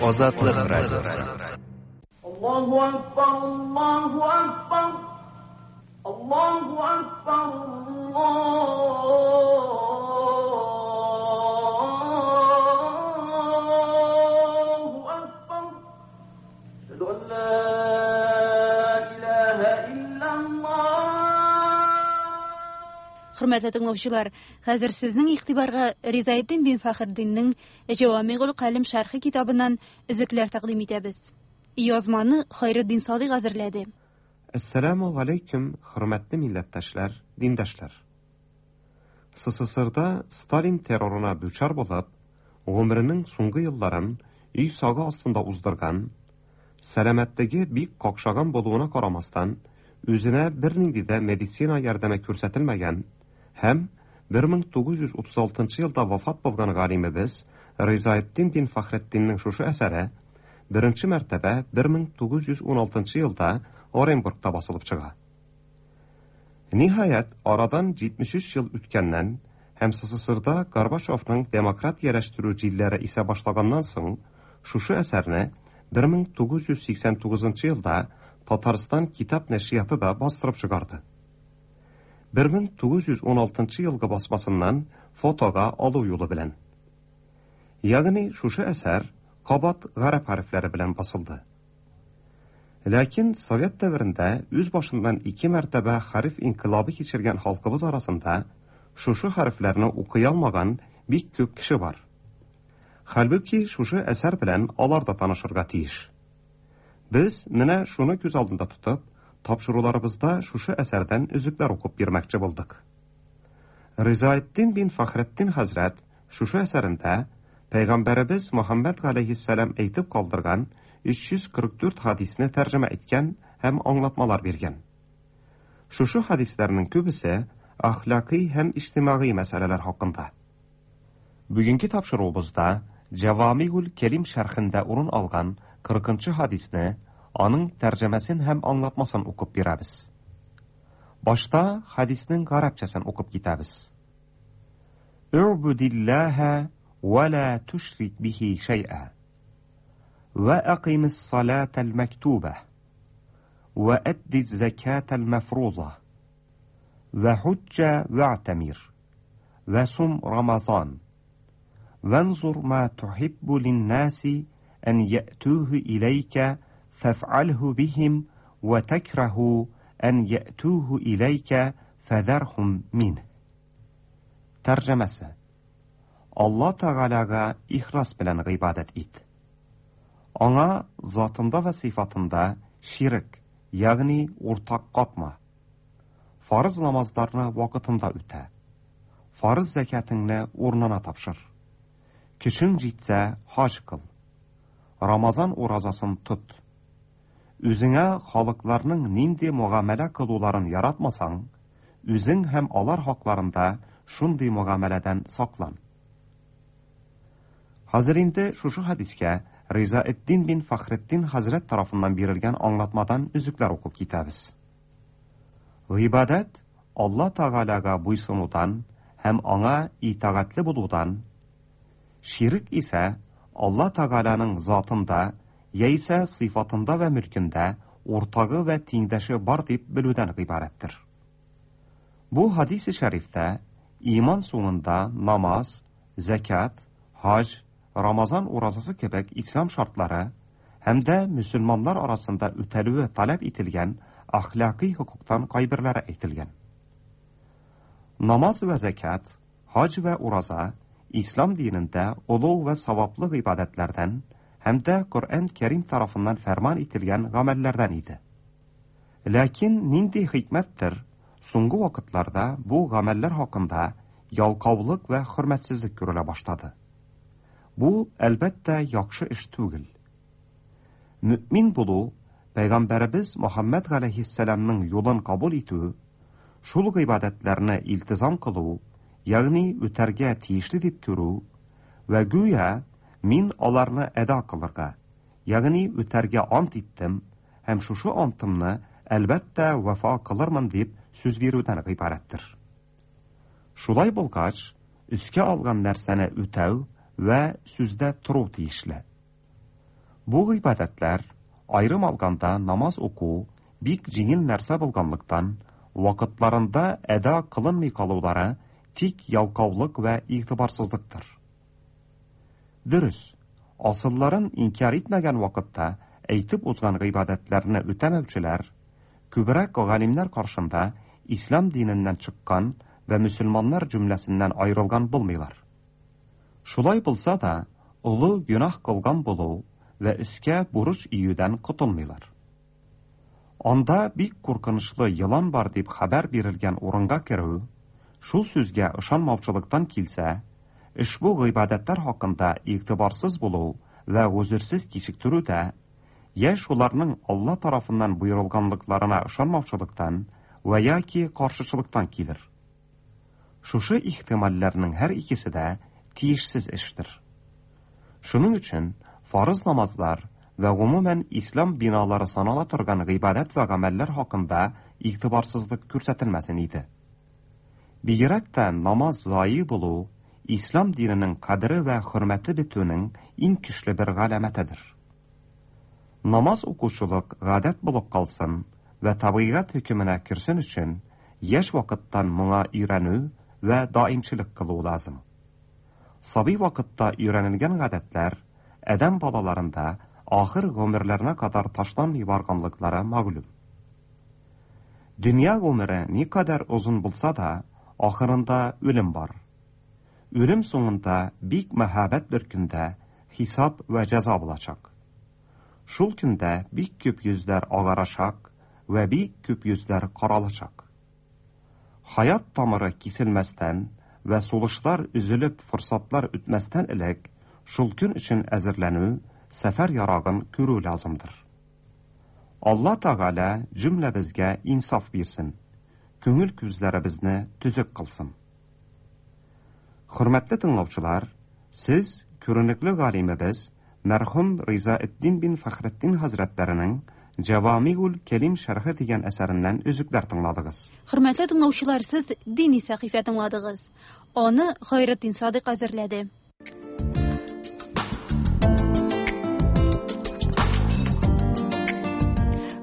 Озатлык радиосы. Аллаһу акбар, Аллаһу акбар, Аллаһу акбар, Аллаһу акбар. Әшһәду ан ла илаһа иллаллаһ. Хөрмәтле тыңлаучылар, хәзер сезнең игътибарга Ризаэддин бин Фәхретдиннең Җавамигул Калим шәрхе китабыннан өзекләр тәкъдим итәбез. Язманы Хайретдин Садыйк әзерләде. Әссәламу алейкум, хөрмәтле милләттәшләр, диндәшләр. СССРда Сталин террорына дучар булып, гомеренең соңгы елларын өй сагы астында уздырган, сәламәтлеге бик какшаган булуына карамастан, үзенә бернинди дә медицина ярдәме күрсәтелмәгән һәм бер мең тугыз йөз утыз алтынчы елда вафат булган галимебез Ризаэддин бин Фәхретдиннең шушы әсәре беренче мәртәбә бер мең тугыз йөз ун алтынчы елда Оренбургта басылып чыга. Ниһаять, арадан җитмеш өч ел үткәннән һәм СССРда Горбачевның демократияләштерү җилләре исә башлаганнан соң, шушы әсәрне бер мең тугыз йөз сиксән тугызынчы елда Татарстан китап нәшрияты да бастырып чыгарды. бер мең тугыз йөз ун алтынчы елгы басмасыннан фотога алу юлы белән. Ягъни шушы әсәр кабат гарәп хәрефләре белән басылды. Ләкин Совет дәверендә үз башыннан ике мәртәбә хәреф инкыйлабы кичергән халкыбыз арасында шушы хәрефләрне укый алмаган бик күп кеше бар. Хәлбүки шушы әсәр белән алар да танышырга тиеш. Без менә шуны күз алдында тотып, тапшыруларыбызда шушы әсәрдән өзекләр укып бирмәкче булдык. Ризаэддин бин Фәхретдин хәзрәт шушы әсәрендә Пәйгамбәребез Мөхәммәд галәйһиссәлам әйтеп калдырган өч йөз кырык дүрт хадисне тәрҗемә иткән һәм аңлатмалар биргән. Шушы хадисләрнең күбесе әхлакый һәм иҗтимагый мәсьәләләр хакында. Бүгенге тапшыруыбызда Җавамигул Кәлим шәрхендә урын алган кырыкынчы хадисне, аның тәрҗемәсен һәм аңлатмасын укып бирәбез. Башта хадиснең гарәпчәсен укып китәбез. У'будиллаһа ва ла тушрик бихи шәй'a. Ва акимис салатал мактуба. Ва адди закатал мафруза. Ва худжа ва'тамир. Ва сум Рамазан. وانظر ما تحب للناس أن يأتوه إليك فافعله بهم وتكره أن يأتوه إليك فذرهم منه. Тәрҗемәсе: Алла Тәгаләгә ихлас белән гыйбадәт ит. Аңа затында вә сыйфатында ширк, ягъни уртак катма. Фарыз намазларны вакытында үтә. Фарыз зәкятыңны урынына тапшыр. Көчең җитсә, хаҗ кыл. Рамазан уразасын тот. Үзеңә халыкларның нинди мөгамәлә кылуларын яратмасаң, үзең һәм алар хакларында шундый мөгамәләдән саклан. Хәзер инде шушы хадискә Ризаэддин бин Фәхретдин хәзрәт тарафыннан бирелгән аңлатмадан өзекләр укып китәбез. Гыйбадәт Алла Тәгаләгә буйсынудан һәм аңа итагатьле булудан, ширк исә Алла Тәгаләнең затында яисә сыйфатында вә мөлкендә уртагы вә тиңдәше бар дип белүдән гыйбарәттер. Бу хадис-и шәрифтә иман соңында намаз, зәкят, хаҗ, Рамазан уразасы кебек ислам шартлары һәм дә мөселманнар арасында үтәлүе таләп ителгән әхлакый хокуктан кайберләре әйтелгән. Намаз вә зәкят, хаҗ вә ураза ислам динендә олуг вә саваплы гыйбадәтләрдән һәм дә Коръән Кәрим тарафыннан фәрман ителгән гамәлләрдән иде. Ләкин нинди хикмәттер, соңгы вакытларда бу гамәлләр хакында ялкаулык вә хөрмәтсезлек күрелә башлады. Бу, әлбәттә, яхшы эш түгел. Мөмин булу, Пәйгамбәребез Мөхәммәд галәйһиссәламның юлын кабул итү, шул гыйбадәтләрне илтизам кылу, ягъни үтәргә тиешле дип күрү вә гүя мин аларны әда кылырга, ягъни үтәргә ант иттем һәм шушы антымны әлбәттә вафа кылырмын дип сүз бирүдән гыйбарәттер. Шулай булгач, өскә алган нәрсәне үтәү вә сүздә тору тиешле. Бу гыйбадәтләр, аерым алганда намаз уку, бик җиңел нәрсә булганлыктан, вакытларында әда кылынмый калулары тик ялкаулык вә игътибарсызлыктыр. Дөрес, асылларын инкяр итмәгән вакытта әйтеп узган гыйбадәтләрне үтәмәүчеләр, күбрәк галимнәр каршында ислам диненнән чыккан вә мөселманнар җөмләсеннән аерылган булмыйлар. Шулай булса да, олы гөнаһ кылган булу вә өскә бурыч июдән котылмыйлар. Анда бик куркынычлы елан бар дип хәбәр бирелгән урынга керү, шул сүзгә ышанмаучылыктан килсә, ошбу гыйбадәтләр хакында игътибарсыз булу вә гозерсез кичектерү дә, я шуларның Алла тарафыннан буйрылганлыкларына ышанмаучылыктан вә яки каршычылыктан килер. Шушы ихтималләрнең һәр икесе дә тиешсез эштер. Шуның өчен фарыз намазлар вә гомумән ислам биналары санала торган гыйбадәт вә гамәлләр хакында игътибарсызлык күрсәтелмәсен иде. Бигрәк тә намаз зайы булу ислам диненең кадере вә хөрмәте бетүнең иң көчле бер галәмәтедер. Намаз укучылык гадәт булып калсын вә табигать хөкеменә керсен өчен яшь вакыттан моңа өйрәнү вә даимчелек кылу лазым. Сабый вакытта өйрәнелгән гадәтләр адәм балаларында ахыр гомерләренә кадәр ташланмый барганлыклары мәгълүм. Дөнья гомере никадәр озын булса да, ахырында үлем бар. Үлем соңында бик мәһабәт бер көндә хисап вә җәза булачак. Шул көндә бик күп йөзләр агарачак Вә бик күп йөзләр каралачак. Хаят тамыры киселмәстән вә сулышлар өзелеп форсатлар үтмәстән элек, шул көн өчен әзерләнү, сәфәр ярагын күрү лазымдыр. Алла Тәгалә җөмләбезгә инсаф бирсен, күңел күзләребезне төзек кылсын. Хөрмәтле тыңлаучылар, сез күренекле галимебез мәрхүм Ризаэддин бин Фәхретдин хәзрәтләренең Җавамигул Кәлим шәрхе дигән әсәреннән өзекләр тыңладыгыз. Хөрмәтле тыңлаучылар, сез дини сәхифә тыңладыгыз. Аны Хайретдин Садык әзерләде.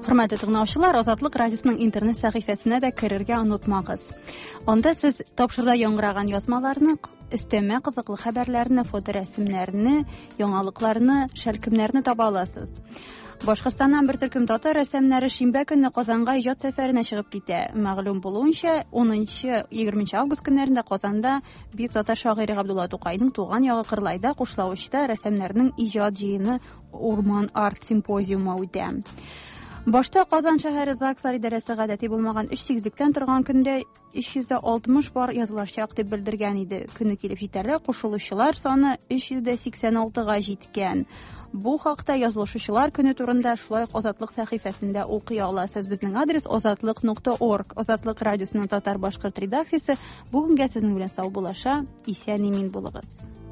Хөрмәтле тыңлаучылар, Азатлык радиосының интернет сәхифәсенә дә керергә онытмагыз. Анда сез тапшыруда яңгыраган язмаларны, өстәмә кызыклы хәбәрләрне, фоторәсемнәрне, яңалыкларны, шәлкемнәрне таба аласыз. Башкортстаннан бер төркем татар рәссамнары шимбә көнне Казанга иҗат сәфәренә чыгып китә. Мәгълүм булуынча, унынчы-егерменче август көннәрендә Казанда бөек татар шагыйре Габдулла Тукайның туган ягы Кырлайда Кушлавычта рәссамнарның иҗат җыены Урман арт симпозиумы үтә. Башта Казан шәһәре ЗАГСлар идарәсе гадәти булмаган өч сигезлектән торган көндә өч йөз дә алтмыш пар язылачак дип белдергән иде. Көне килеп җитәргә кушылучылар саны өч йөз дә сиксән алтыга җиткән. Бу хакта язылышучылар көне турында шулай ук Азатлык сәхифәсендә укый аласыз. Безнең адрес азатлык нокта орг. Азатлык радиосының татар-башкорт редакциясе бүгенгә сезнең белән саубуллаша. Исән-имин булыгыз.